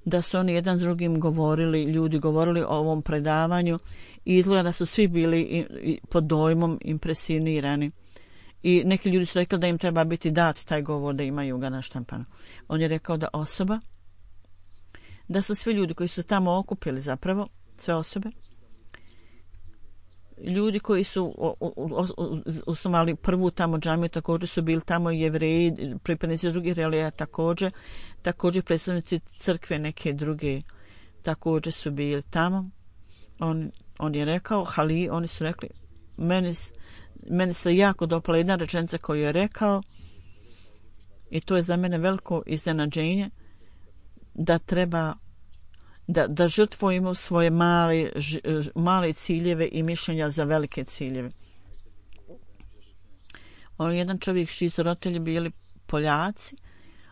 da su oni jedan drugim govorili, ljudi govorili o ovom predavanju i izgleda da su svi bili pod dojmom impresionirani. I neki ljudi su rekli da im treba biti dat taj govor, da imaju ga naštampano. On je rekao da osoba, da su svi ljudi koji su tamo okupili zapravo, sve osobe, ljudi koji su osnovali prvu tamo džamiju, također su bili tamo Jevreji, pripadnici drugih religija također, također predstavnici crkve neke druge također su bili tamo. On, on je rekao, hali, oni su rekli, meni, meni se jako dopala jedna rečenica koju je rekao i to je za mene veliko iznenađenje da treba da, da žrtvujemo svoje male, ž, male ciljeve i mišljenja za velike ciljeve. On jedan čovjek čiji su roditelji bili Poljaci,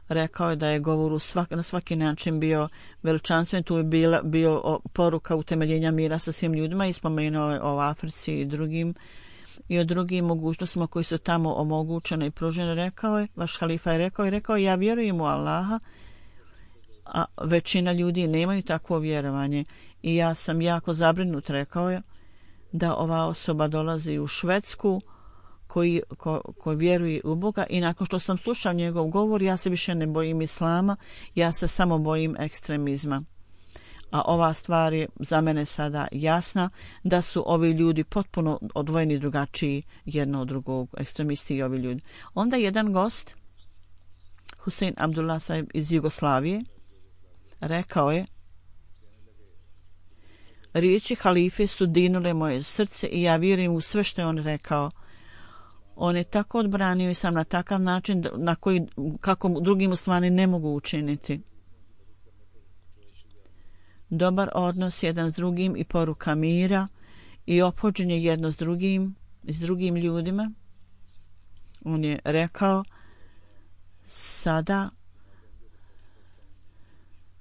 rekao je da je govor u svak, na svaki način bio veličanstven, tu je bila, bio poruka utemeljenja mira sa svim ljudima i spomenuo je o Africi i drugim i o drugim mogućnostima koji su tamo omogućene i pružene. Rekao je, vaš halifa je rekao i rekao ja vjerujem u Allaha, a većina ljudi nemaju takvo vjerovanje i ja sam jako zabrinut, rekao je, da ova osoba dolazi u Švedsku koji, ko, koji vjeruje u Boga i nakon što sam slušao njegov govor ja se više ne bojim islama, ja se samo bojim ekstremizma. A ova stvar je za mene sada jasna da su ovi ljudi potpuno odvojeni drugačiji jedno od drugog, ekstremisti i ovi ljudi. Onda jedan gost, Husein Abdullah Sahib iz Jugoslavije, rekao je, riječi halife su dinule moje srce i ja vjerujem u sve što je on rekao. On je tako odbranio i sam na takav način na koji, kako drugi muslimani ne mogu učiniti. Dobar odnos jedan s drugim i poruka mira i ophođenje jedno s drugim i s drugim ljudima. On je rekao, sada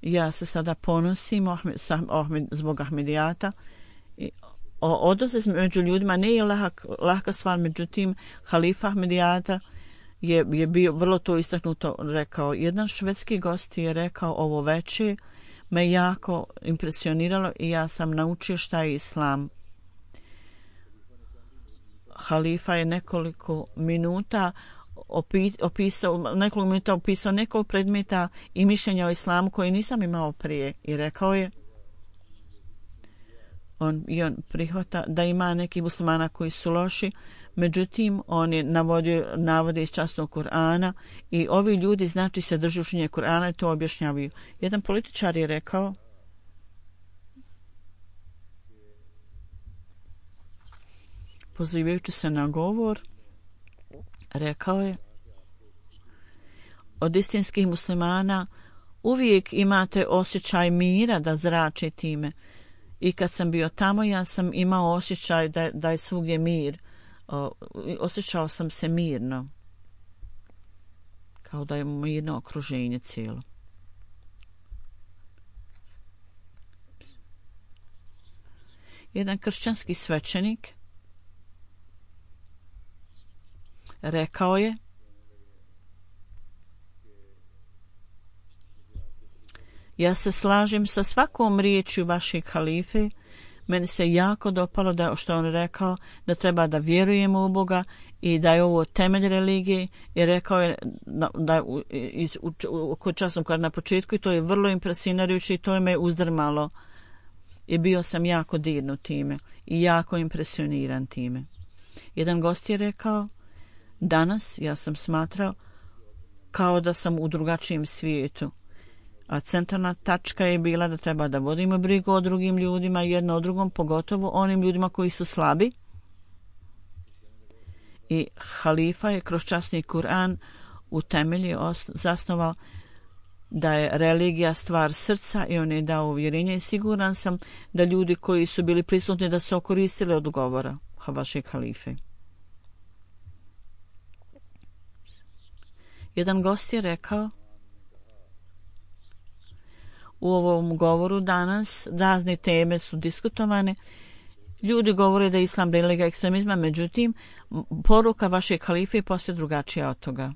ja se sada ponosim Ahmed, Ahmed, zbog Ahmedijata. I odnos među ljudima nije lahak, lahka stvar, međutim halifa Ahmedijata je, je bio vrlo to istaknuto rekao. Jedan švedski gost je rekao ovo veče me jako impresioniralo i ja sam naučio šta je islam. Halifa je nekoliko minuta opisao, nekoliko minuta opisao nekoliko predmeta i mišljenja o islamu koje nisam imao prije i rekao je on, i on prihvata da ima neki muslimana koji su loši, međutim on je navodio navode iz časnog Kur'ana i ovi ljudi znači se drže učenje Kur'ana i to objašnjavaju. Jedan političar je rekao pozivajući se na govor, rekao je od istinskih muslimana uvijek imate osjećaj mira da zrači time i kad sam bio tamo ja sam imao osjećaj da, da je svugdje mir, o, osjećao sam se mirno kao da je mirno okruženje cijelo. Jedan kršćanski svećenik rekao je ja se slažem sa svakom riječju vašeg halife, meni se jako dopalo da što on rekao da treba da vjerujemo u Boga i da je ovo temelj religije i rekao je da kod časnom kad na početku i to je vrlo impresionirajuće i to je me uzdrmalo i bio sam jako dirnut time i jako impresioniran time. Jedan gost je rekao danas ja sam smatrao kao da sam u drugačijem svijetu, a centralna tačka je bila da treba da vodimo brigu o drugim ljudima, jedno o drugom, pogotovo onim ljudima koji su slabi. I halifa je kroz časni Kur'an u temelji zasnovao da je religija stvar srca i on je dao uvjerenje i siguran sam da ljudi koji su bili prisutni da su okoristili od govora vašeg halife. Jedan gost je rekao U ovom govoru danas razne teme su diskutovane. Ljudi govore da je islam religija ekstremizma, međutim, poruka vašeg halife je posve drugačija od toga.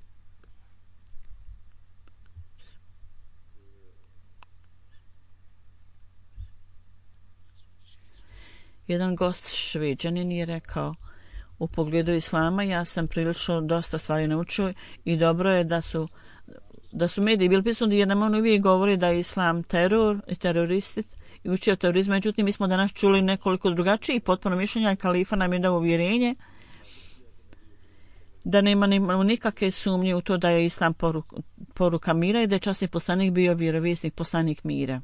Jedan gost Šveđanin je rekao, u pogledu islama ja sam prilično dosta stvari naučio i dobro je da su da su mediji bili pisani jer nam on uvijek govori da je islam teror i teroristi i uči o terorizmu. Međutim, mi smo danas čuli nekoliko drugačijih potpuno mišljenja i kalifa nam je dao uvjerenje da nema nikakve sumnje u to da je islam poruka, poruka mira i da je časni poslanik bio vjerovjesnik, poslanik mira.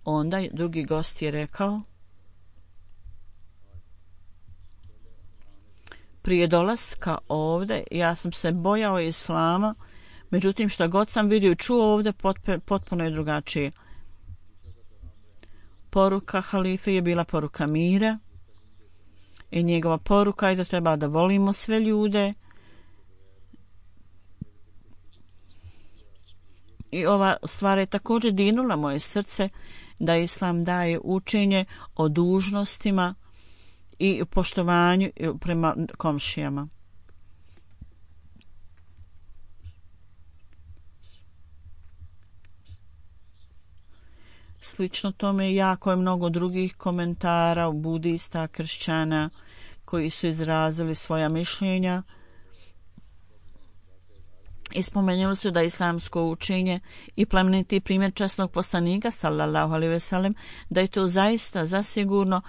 Onda drugi gost je rekao, prije dolaska ovdje ja sam se bojao islama, međutim šta god sam vidio i čuo ovdje potpuno je drugačije. Poruka halife je bila poruka mira i njegova poruka je da treba da volimo sve ljude. I ova stvar je također dirnula moje srce da islam daje učenje o dužnostima i poštovanju prema komšijama. Slično tome jako je mnogo drugih komentara budista, kršćana koji su izrazili svoja mišljenja i spomenuli su da islamsko učenje i plemeniti primjer časnog poslanika sallallahu alejhi ve sellem da je to zaista zasigurno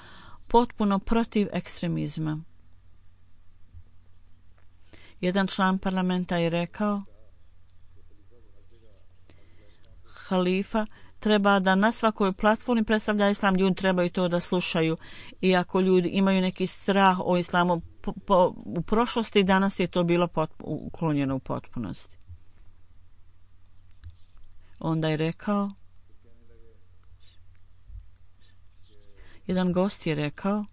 potpuno protiv ekstremizma. Jedan član parlamenta je rekao, halifa treba da na svakoj platformi predstavlja islam, ljudi trebaju to da slušaju. I ako ljudi imaju neki strah o islamu po, po, u prošlosti, danas je to bilo pot, uklonjeno u potpunosti. Onda je rekao, jedan gost je rekao,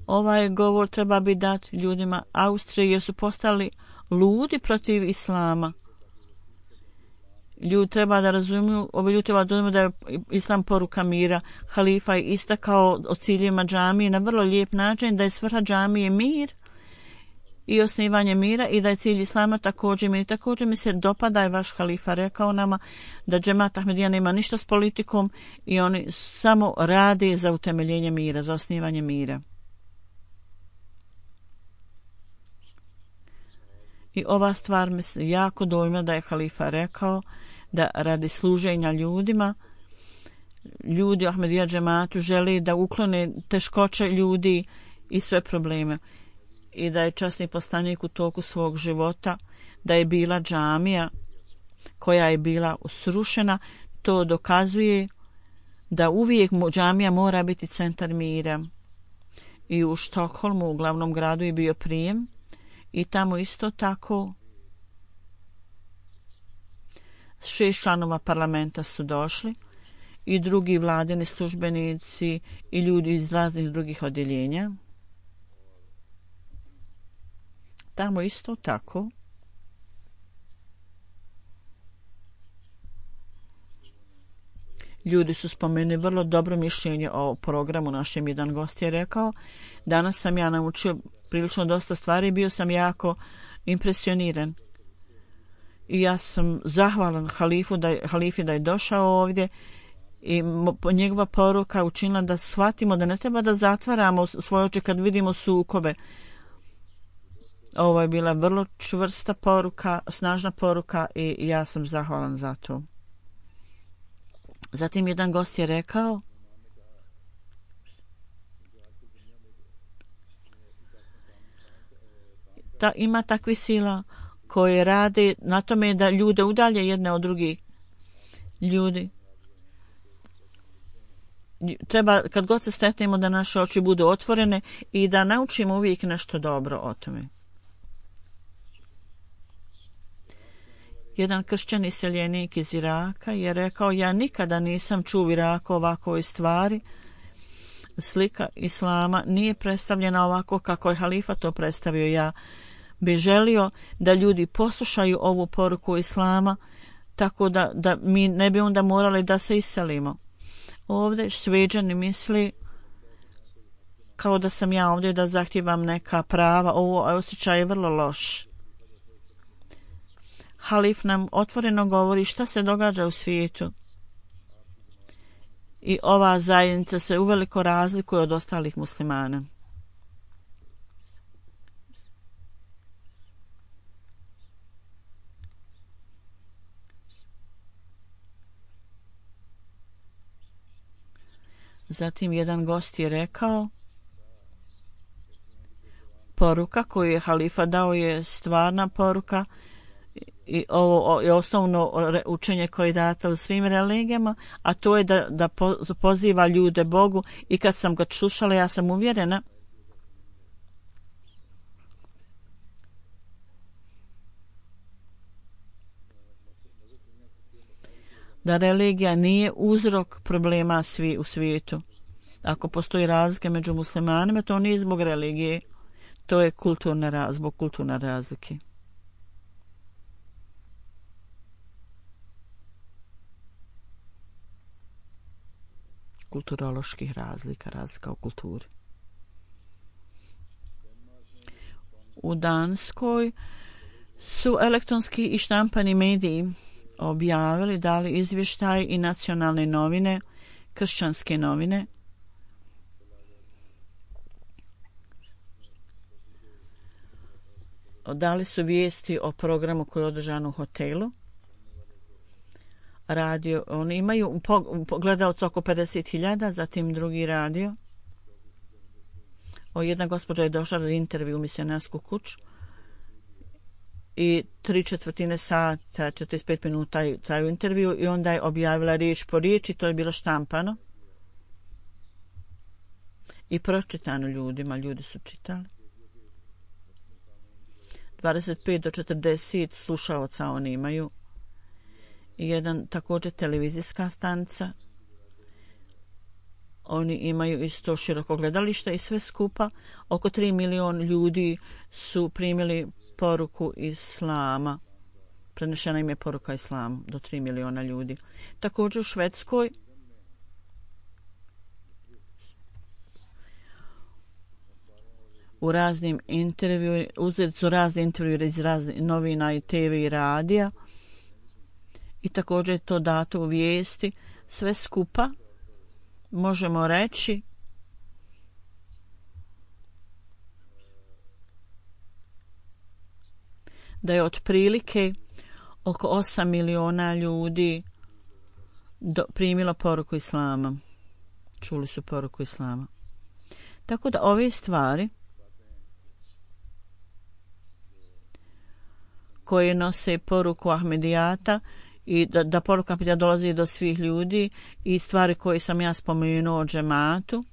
ovaj govor treba bi dati ljudima Austrije jer su postali ludi protiv islama. Ljudi treba da razumiju, ovi ljudi treba da razumiju da je islam poruka mira. Halifa je istakao o ciljima džamije na vrlo lijep način, da je svrha džamije mir i osnivanje mira i da je cilj islama također mir. Također mi se dopada je vaš halifa rekao nama da džemat Ahmedija nema ništa s politikom i oni samo rade za utemeljenje mira, za osnivanje mira. I ova stvar mi se jako dojma da je halifa rekao da radi služenja ljudima, ljudi u Ahmedija džematu želi da uklone teškoće ljudi i sve probleme. I da je časni poslanik u toku svog života, da je bila džamija koja je bila srušena, to dokazuje da uvijek džamija mora biti centar mira. I u Štokholmu, u glavnom gradu, je bio prijem i tamo isto tako šest članova parlamenta su došli i drugi vladini službenici i ljudi iz raznih drugih odjeljenja. Tamo isto tako ljudi su spomenuli vrlo dobro mišljenje o programu našem. Jedan gost je rekao, danas sam ja naučio prilično dosta stvari, bio sam jako impresioniran. I ja sam zahvalan halifu da je, halifi da je došao ovdje i njegova poruka učinila da shvatimo da ne treba da zatvaramo svoje oči kad vidimo sukobe. Ovo je bila vrlo čvrsta poruka, snažna poruka i ja sam zahvalan za to. Zatim jedan gost je rekao, da ima takvi sila koje rade na tome da ljude udalje jedne od drugih. Ljudi treba kad god se sretnemo da naše oči budu otvorene i da naučimo uvijek nešto dobro o tome. Jedan kršćan iseljenik iz Iraka je rekao, ja nikada nisam čuo u Iraku ovakvoj stvari. Slika islama nije predstavljena ovako kako je halifa to predstavio. Ja bi želio da ljudi poslušaju ovu poruku islama, tako da, da mi ne bi onda morali da se iselimo. Ovdje Šveđani misli kao da sam ja ovdje da zahtijevam neka prava. Ovo osjećaj je vrlo loš. Halif nam otvoreno govori šta se događa u svijetu. I ova zajednica se uveliko razlikuje od ostalih muslimana. Zatim jedan gost je rekao, poruka koju je halifa dao je stvarna poruka i ovo je osnovno učenje koje je dato u svim religijama, a to je da, da poziva ljude Bogu. I kad sam ga slušala, ja sam uvjerena da religija nije uzrok problema svi u svijetu. Ako postoji razlika među muslimanima, to nije zbog religije, to je kulturna, zbog kulturne razlike. Kulturoloških razlika, razlika u kulturi. U Danskoj su elektronski i štampani mediji objavili, dali izvještaj i nacionalne novine, kršćanske novine, dali su vijesti o programu koji je održan u hotelu. Radio, oni imaju gledalca oko pedeset hiljada, zatim drugi radio. O, jedna gospođa je došla na intervju u misionarsku kuću i tri četvrtine sata, četrdeset pet minuta traju intervju i onda je objavila riječ po riječ i to je bilo štampano i pročitano ljudima, ljudi su čitali. dvadeset pet do četrdeset slušaoca oni imaju. I jedan također televizijska stanica. Oni imaju isto široko gledalište i sve skupa oko tri miliona ljudi su primili poruku islama. Prenešena im je poruka islama do tri miliona ljudi. Također u Švedskoj u raznim intervju, uzeti su razne intervjue iz raznih novina i te ve i radija i također je to dato u vijesti. Sve skupa možemo reći da je otprilike oko osam miliona ljudi do, primilo poruku islama. Čuli su poruku islama. Tako da ove stvari koje nose poruku Ahmedijata i da, da poruka Ahmedijata dolazi do svih ljudi i stvari koje sam ja spomenuo o džematu,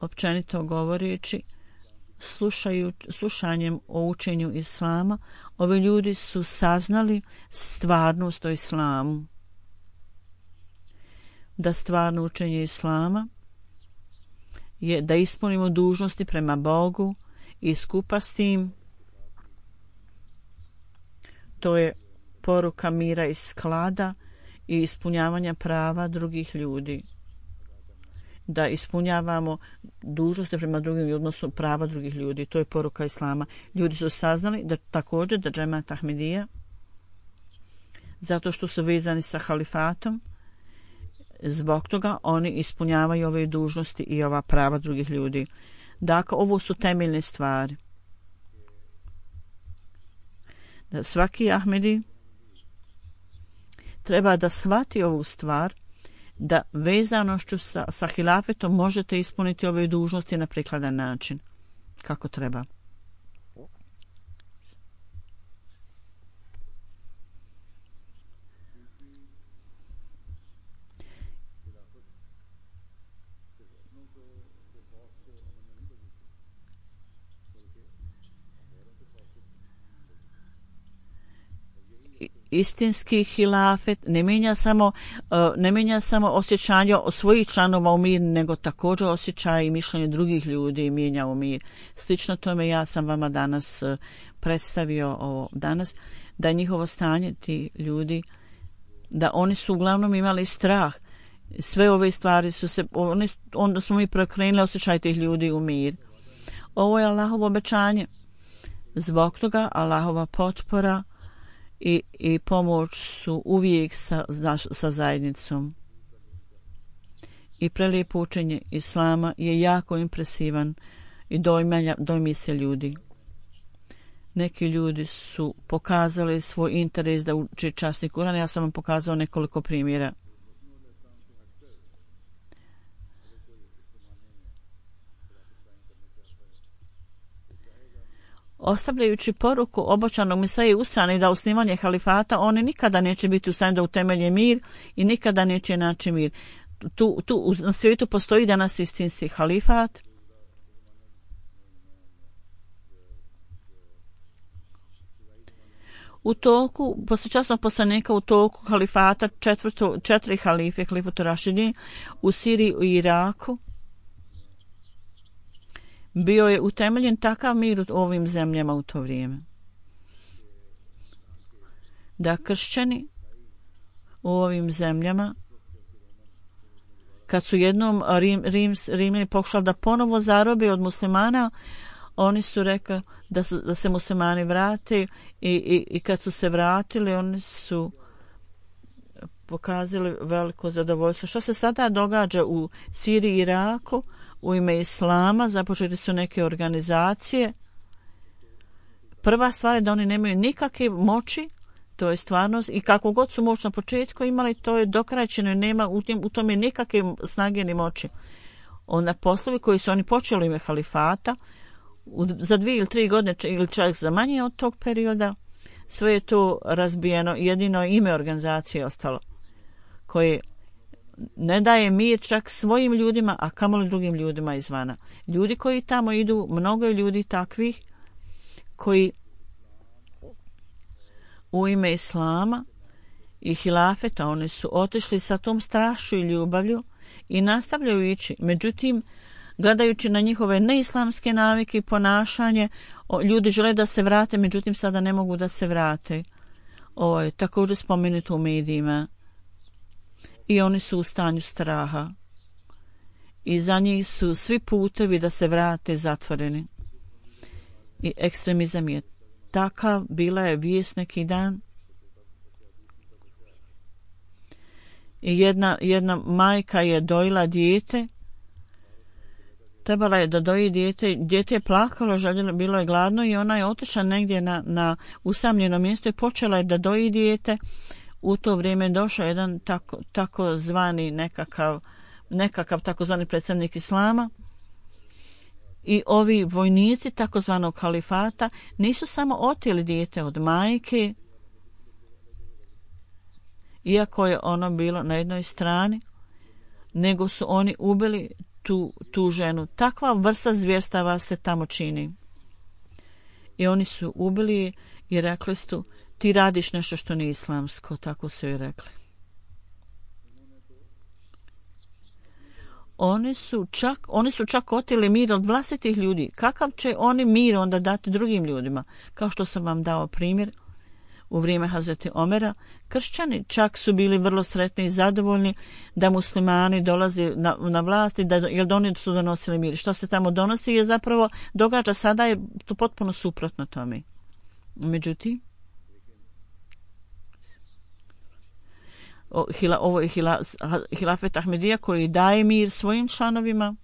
općenito govoreći, slušaju, slušanjem o učenju islama, ovi ljudi su saznali stvarnost o islamu. Da stvarno učenje islama je da ispunimo dužnosti prema Bogu i skupa s tim to je poruka mira i sklada i ispunjavanja prava drugih ljudi. Da ispunjavamo dužnosti prema drugim ljudima, odnosno prava drugih ljudi. To je poruka islama. Ljudi su saznali da također da džemat Ahmedija, zato što su vezani sa halifatom, zbog toga oni ispunjavaju ove dužnosti i ova prava drugih ljudi. Dakle, ovo su temeljne stvari. Da svaki Ahmedi treba da shvati ovu stvar, da vezanošću sa, sa hilafetom možete ispuniti ove dužnosti na prikladan način, kako treba. istinski hilafet ne mijenja samo, ne mijenja samo osjećanje svojih članova u mir, nego također osjećaj i mišljenje drugih ljudi mijenja u mir. Slično tome ja sam vama danas predstavio ovo danas, da je njihovo stanje, ti ljudi, da oni su uglavnom imali strah. Sve ove stvari su se, oni, onda smo mi preokrenuli osjećaj tih ljudi u mir. Ovo je Allahovo obećanje. Zbog toga Allahova potpora i, i pomoć su uvijek sa, sa zajednicom. I prelijepo učenje Islama je jako impresivan i dojmanja, dojmi se ljudi. Neki ljudi su pokazali svoj interes da uči časni Kuran. Ja sam vam pokazao nekoliko primjera. Ostavljajući poruku obočanog Mesaje u strani da osnivanje halifata, oni nikada neće biti u stanju da utemelje mir i nikada neće naći mir. Tu, tu na svijetu postoji danas istinski halifat. U toku, posle časnog poslanika u toku halifata, četvrto, četiri halife, halifatu Rašidin, u Siriji i Iraku, bio je utemeljen takav mir u ovim zemljama u to vrijeme. Da kršćani u ovim zemljama, kad su jednom Rim, Rim, Rimljani pokušali da ponovo zarobe od muslimana, oni su rekli da, su, da se muslimani vrate i, i, i kad su se vratili, oni su pokazali veliko zadovoljstvo. Što se sada događa u Siriji i Iraku? U ime Islama započeli su neke organizacije. Prva stvar je da oni nemaju nikakve moći, to je stvarnost, i kako god su moć na početku imali, to je dokrajčeno i nema u, tim, u tome nikakve snage ni moći. Onda poslovi koji su oni počeli ime halifata, u, za dvije ili tri godine ili čak za manje od tog perioda, sve je to razbijeno, jedino ime organizacije ostalo, koje ne daje mir čak svojim ljudima, a kamoli drugim ljudima izvana. Ljudi koji tamo idu, mnogo je ljudi takvih koji u ime Islama i hilafeta, oni su otišli sa tom strašću i ljubavlju i nastavljaju ići. Međutim, gledajući na njihove neislamske navike i ponašanje, ljudi žele da se vrate, međutim sada ne mogu da se vrate. Ovo je također spomenuto u medijima. I oni su u stanju straha. I za njih su svi putevi da se vrate zatvoreni. I ekstremizam je takav, bila je vijest neki dan. I jedna, jedna majka je dojila dijete. Trebala je da doji dijete. Dijete je plakalo, željelo, bilo je gladno i ona je otišla negdje na, na usamljeno mjesto i počela je da doji dijete. U to vrijeme došao jedan tako, tako zvani nekakav, nekakav takozvani predstavnik Islama i ovi vojnici takozvanog halifata nisu samo oteli dijete od majke, iako je ono bilo na jednoj strani, nego su oni ubili tu, tu ženu. Takva vrsta zvjerstava se tamo čini. I oni su ubili i rekli su, ti radiš nešto što nije islamsko, tako su joj rekli. Oni su čak, oni su čak oteli mir od vlastitih ljudi. Kakav će oni mir onda dati drugim ljudima? Kao što sam vam dao primjer u vrijeme Hazreti Omera, kršćani čak su bili vrlo sretni i zadovoljni da muslimani dolazi na, na vlast i da, jer oni su donosili mir. Što se tamo donosi je zapravo događa sada je to potpuno suprotno tome. Međutim, ovo je hilafet Ahmedija koji daje mir svojim članovima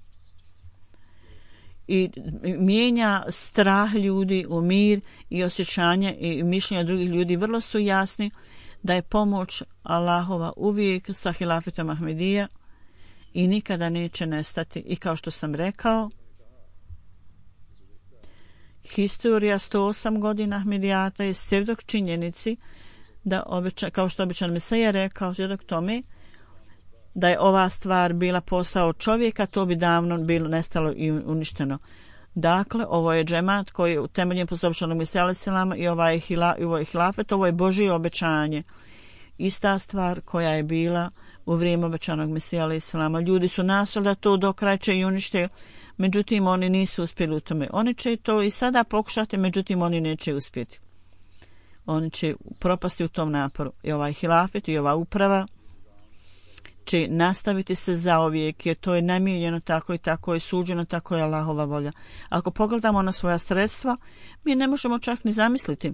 i mijenja strah ljudi u mir i osjećanje i mišljenja drugih ljudi. Vrlo su jasni da je pomoć Allahova uvijek sa hilafetom Ahmedija i nikada neće nestati. I kao što sam rekao, historija sto osam godina Ahmedijata je svjedok činjenici da običan, kao što običan Mesaja rekao svjedok tome da je ova stvar bila posao čovjeka, to bi davno bilo nestalo i uništeno. Dakle, ovo je džemat koji je utemeljen po sopštvenog Mesija alejhi selam i ovaj hila, i ovaj hilafet, ovo je Božje obećanje. Ista stvar koja je bila u vrijeme obećanog Mesija alejhi selama. Ljudi su nastojali da to dokrajče i unište, međutim oni nisu uspjeli u tome. Oni će to i sada pokušati, međutim oni neće uspjeti. Oni će propasti u tom naporu. I ovaj hilafet i ova uprava će nastaviti se zauvijek, jer to je namijenjeno tako i tako je suđeno, tako je Allahova volja. Ako pogledamo na svoja sredstva, mi ne možemo čak ni zamisliti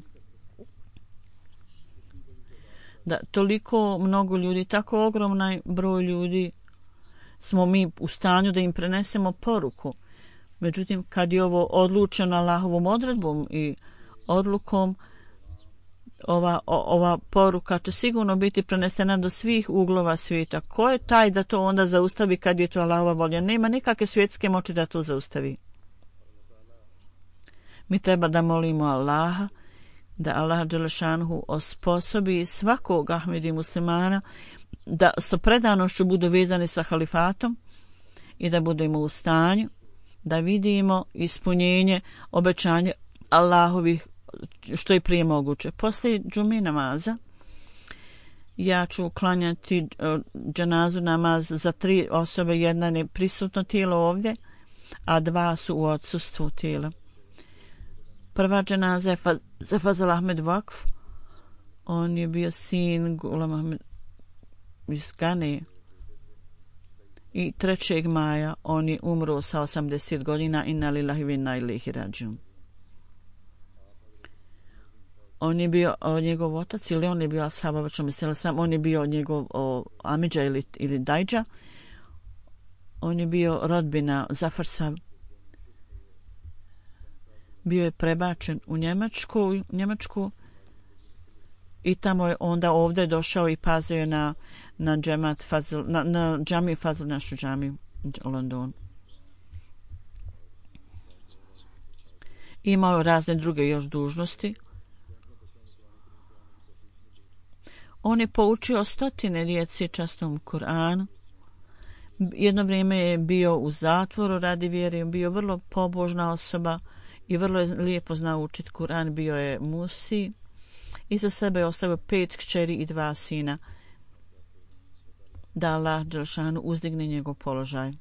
da toliko mnogo ljudi, tako ogroman broj ljudi smo mi u stanju da im prenesemo poruku. Međutim, kad je ovo odlučeno Allahovom odredbom i odlukom, ova, o, ova poruka će sigurno biti prenesena do svih uglova svijeta. Ko je taj da to onda zaustavi kad je to Allahova volja? Nema nikakve svjetske moći da to zaustavi. Mi treba da molimo Allaha, da Allah dželešanhu osposobi svakog Ahmedi muslimana da sa predanošću budu vezani sa halifatom i da budemo u stanju da vidimo ispunjenje obećanja Allahovih što je prije moguće. Poslije džume namaza ja ću klanjati dženazu namaz za tri osobe, jedna je prisutno tijelo ovdje, a dva su u odsustvu tijela. Prva dženaza je Faz, Fazal Ahmed Vakf. On je bio sin Gulam Ahmed iz Gane. I trećeg maja on je umro sa osamdeset godina. Inna lillahi wa inna ilaihi rađiun. On je bio o, njegov otac, ili on je bio ashab, on je bio njegov o, amidža ili, ili dajđa. On je bio rodbina Zafarsa. Bio je prebačen u Njemačku, Njemačku i tamo je onda ovdje došao i pazio na, na, džemat Fazl, na, na džamiju Fazl, našu džamiju u Londonu. Imao razne druge još dužnosti. On je poučio stotine djeci častom Kur'anu. Jedno vrijeme je bio u zatvoru radi vjere, bio vrlo pobožna osoba i vrlo je lijepo znao učiti Kur'an, bio je musi. Iza sebe je ostavio pet kćeri i dva sina. Da Allah dželešanu uzdigne njegov položaj.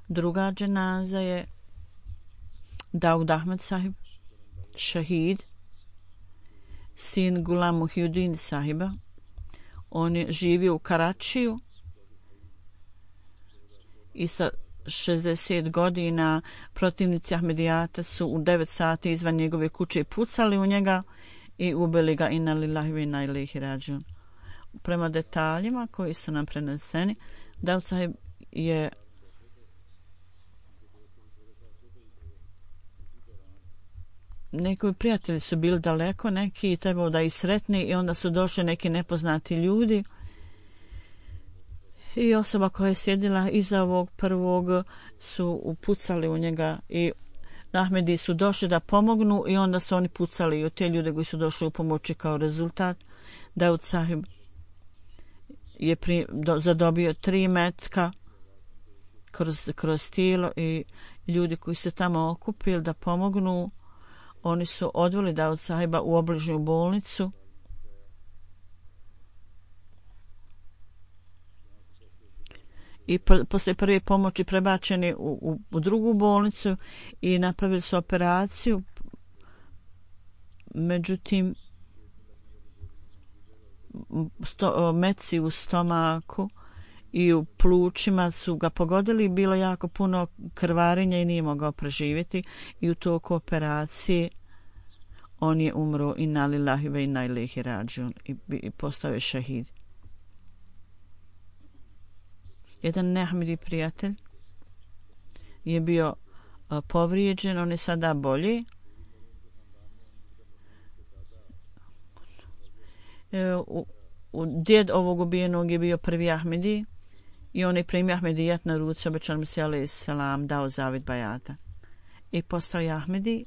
Druga dženaza je Daud Ahmed sahib, šahid, sin Gulam Muhyiddin sahiba. On je živio u Karačiju i sa šezdeset godina protivnici Ahmedijata su u devet sati izvan njegove kuće pucali u njega i ubili ga. Inna lillahi wa inna ilaihi rađiun. Prema detaljima koji su nam preneseni, Daud sahib je neki prijatelji su bili daleko, neki trebao da ih sretni i onda su došli neki nepoznati ljudi i osoba koja je sjedila iza ovog prvog su upucali u njega i Ahmedi su došli da pomognu i onda su oni pucali u te ljude koji su došli u pomoći. Kao rezultat Daud sahib je pri, do, zadobio tri metka kroz, kroz tijelo i ljudi koji se tamo okupili da pomognu, oni su odveli Daud sahiba u obližnju bolnicu. I pr- poslije prve pomoći prebačeni u, u, u drugu bolnicu i napravili su operaciju. Međutim, sto, metci u stomaku i u plućima su ga pogodili. Bilo jako puno krvarenja i nije mogao preživjeti. I u toku operacije on je umro. Inna lillahi wa inna ilaihi rađiun. I, i postao je šahid. Jedan neahmedi prijatelj je bio uh, povrijeđen, on je sada bolji. E, u, u, djed ovog ubijenog je bio prvi Ahmedi i on je primio Ahmedijat na ruci, obećan Mesija alejhi selam dao zavet bajata i postao je Ahmedi,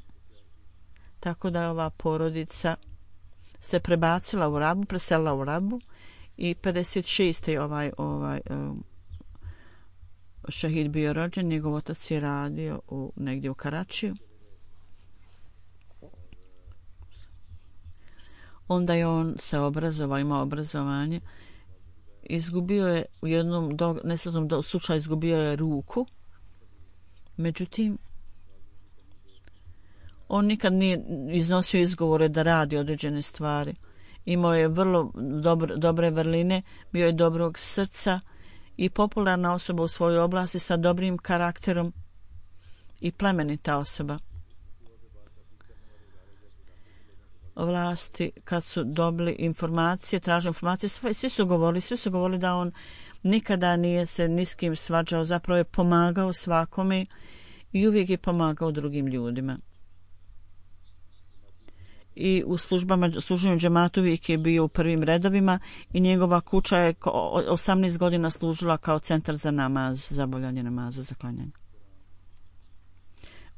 tako da je ova porodica se prebacila u Rabu, preselila u Rabu i pedeset šeste je ovaj, ovaj um, šehid bio rođen, njegov otac je radio u, negdje u Karačiju. Onda je on se obrazovao, imao obrazovanje. Izgubio je u jednom do, nesretnom do, slučaju izgubio je ruku. Međutim, on nikad nije iznosio izgovore da radi određene stvari. Imao je vrlo dobro, dobre vrline, bio je dobrog srca i popularna osoba u svojoj oblasti sa dobrim karakterom i plemenita osoba. Vlasti kad su dobili informacije, tražili informacije, svi, svi su govorili, svi su govorili da on nikada nije se ni s kim svađao, zapravo je pomagao svakome i uvijek je pomagao drugim ljudima. I u službama, služenju džematu uvijek je bio u prvim redovima i njegova kuća je osamnaest godina služila kao centar za namaz, za obavljanje namaza, za klanjanje.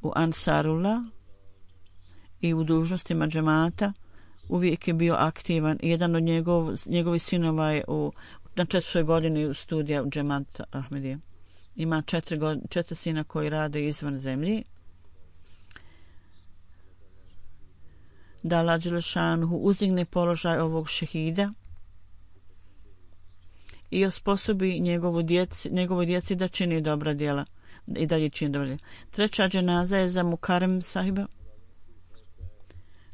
U Ansarullah i u dužnostima džemata uvijek je bio aktivan. Jedan od njegov, njegovih sinova je u, na četvrtoj godini studija u džemat Ahmedije. Ima četiri, god, četiri sina koji rade izvan zemlji. Da Allah Đelešanuhu uzigne položaj ovog šehida i osposobi njegovu djeci, njegovoj djeci da čini dobra djela i dalje čini dobra djela. Treća dženaza je za Mukarem sahiba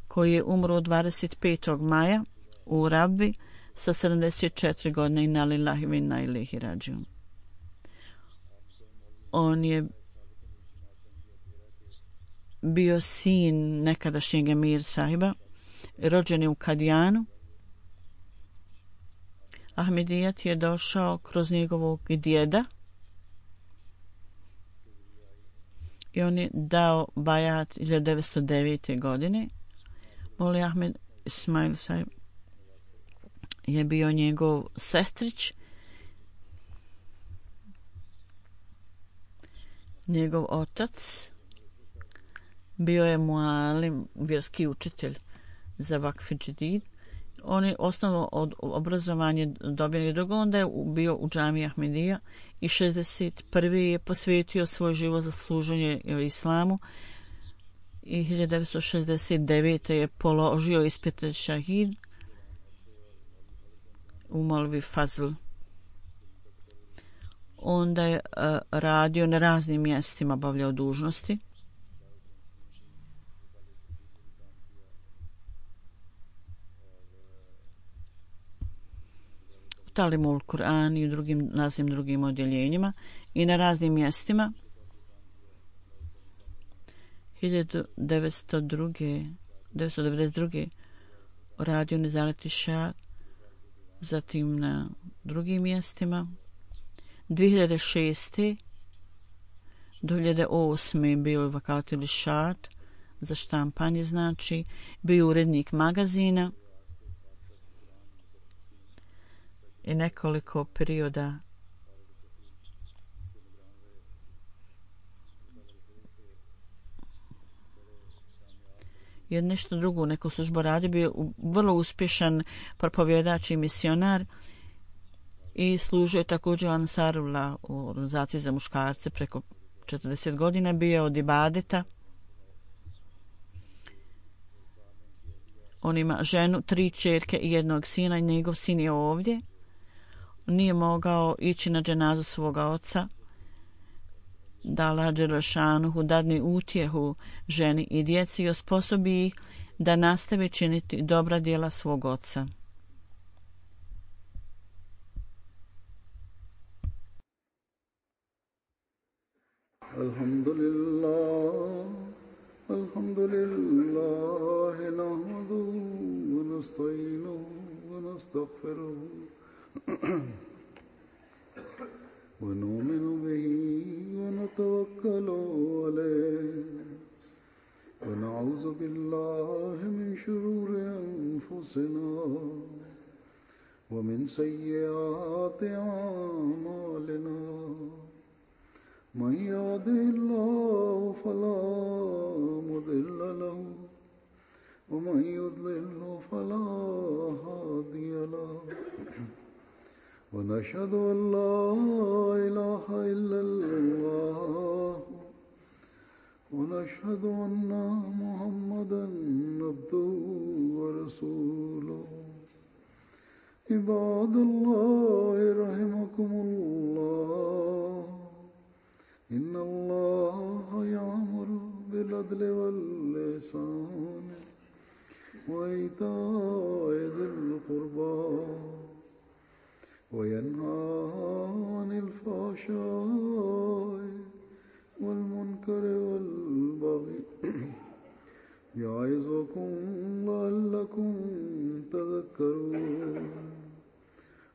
koji je umro dvadeset petog maja u Rabbi sa sedamdeset četiri godine. Inna lillahi wa inna ilaihi rađiun. On je bio sin nekadašnjeg emir sahiba, rođen je u Kadijanu. Ahmedijat je došao kroz njegovog djeda i on je dao bajat hiljadu devetsto devete. godine. Moli Ahmed Ismail sahib je bio njegov sestrić. Njegov otac bio je mualim, vjerski učitelj za Vakf Džedid. On je osnovno od obrazovanje dobio drugo, onda je bio u džamiji Ahmedija i šezdeset prve. je posvetio svoj život za služenje islamu i hiljadu devetsto šezdeset devete. je položio ispit šahid u Molvi Fazl. Onda je uh, radio na raznim mjestima, obavljao dužnosti. U Talimul Kur'an i u drugim, raznim drugim odjeljenjima i na raznim mjestima. hiljadu devetsto devedeset druge. radio Nezareti Šad, zatim na drugim mjestima. dvije hiljade šeste. do dvije hiljade osme. bio je Vakatili Šad za štampanje, znači bio urednik magazina i nekoliko perioda je nešto drugo, neku službu radi, bio vrlo uspješan propovjedač i misionar i služio također Ansarullah u organizaciji za muškarce preko četrdeset godina, bio od ibadeta. On ima ženu, tri ćerke i jednog sina i njegov sin je ovdje. Nije mogao ići na dženazu svoga oca. Da Allah Đelešanuhu dadne utjehu ženi i djeci i osposobi ih da nastave činiti dobra djela svog oca. Alhamdulillah, alhamdulillah, nahmaduhu wa nasta'inuhu wa nastaghfiruhu ونؤمن به ونتوكل عليه ونعوذ بالله من شرور أنفسنا ومن سيئات أعمالنا من يهده الله فلا مضل له ومن يضلل فلا هادي له ونشهد أن لا إله إلا الله وأشهد أن محمدا عبده ورسوله عباد الله رحمكم الله إن الله يأمر بالعدل والإحسان وإيتاء ذي القربى وينهى عن الفحشاء والمنكر والبغي يعظكم لعلكم تذكرون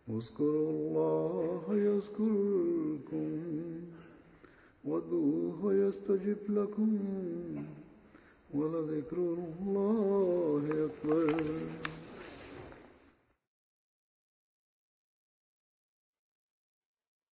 اذكروا الله يذكركم وادعوه يستجب لكم ولذكر الله أكبر.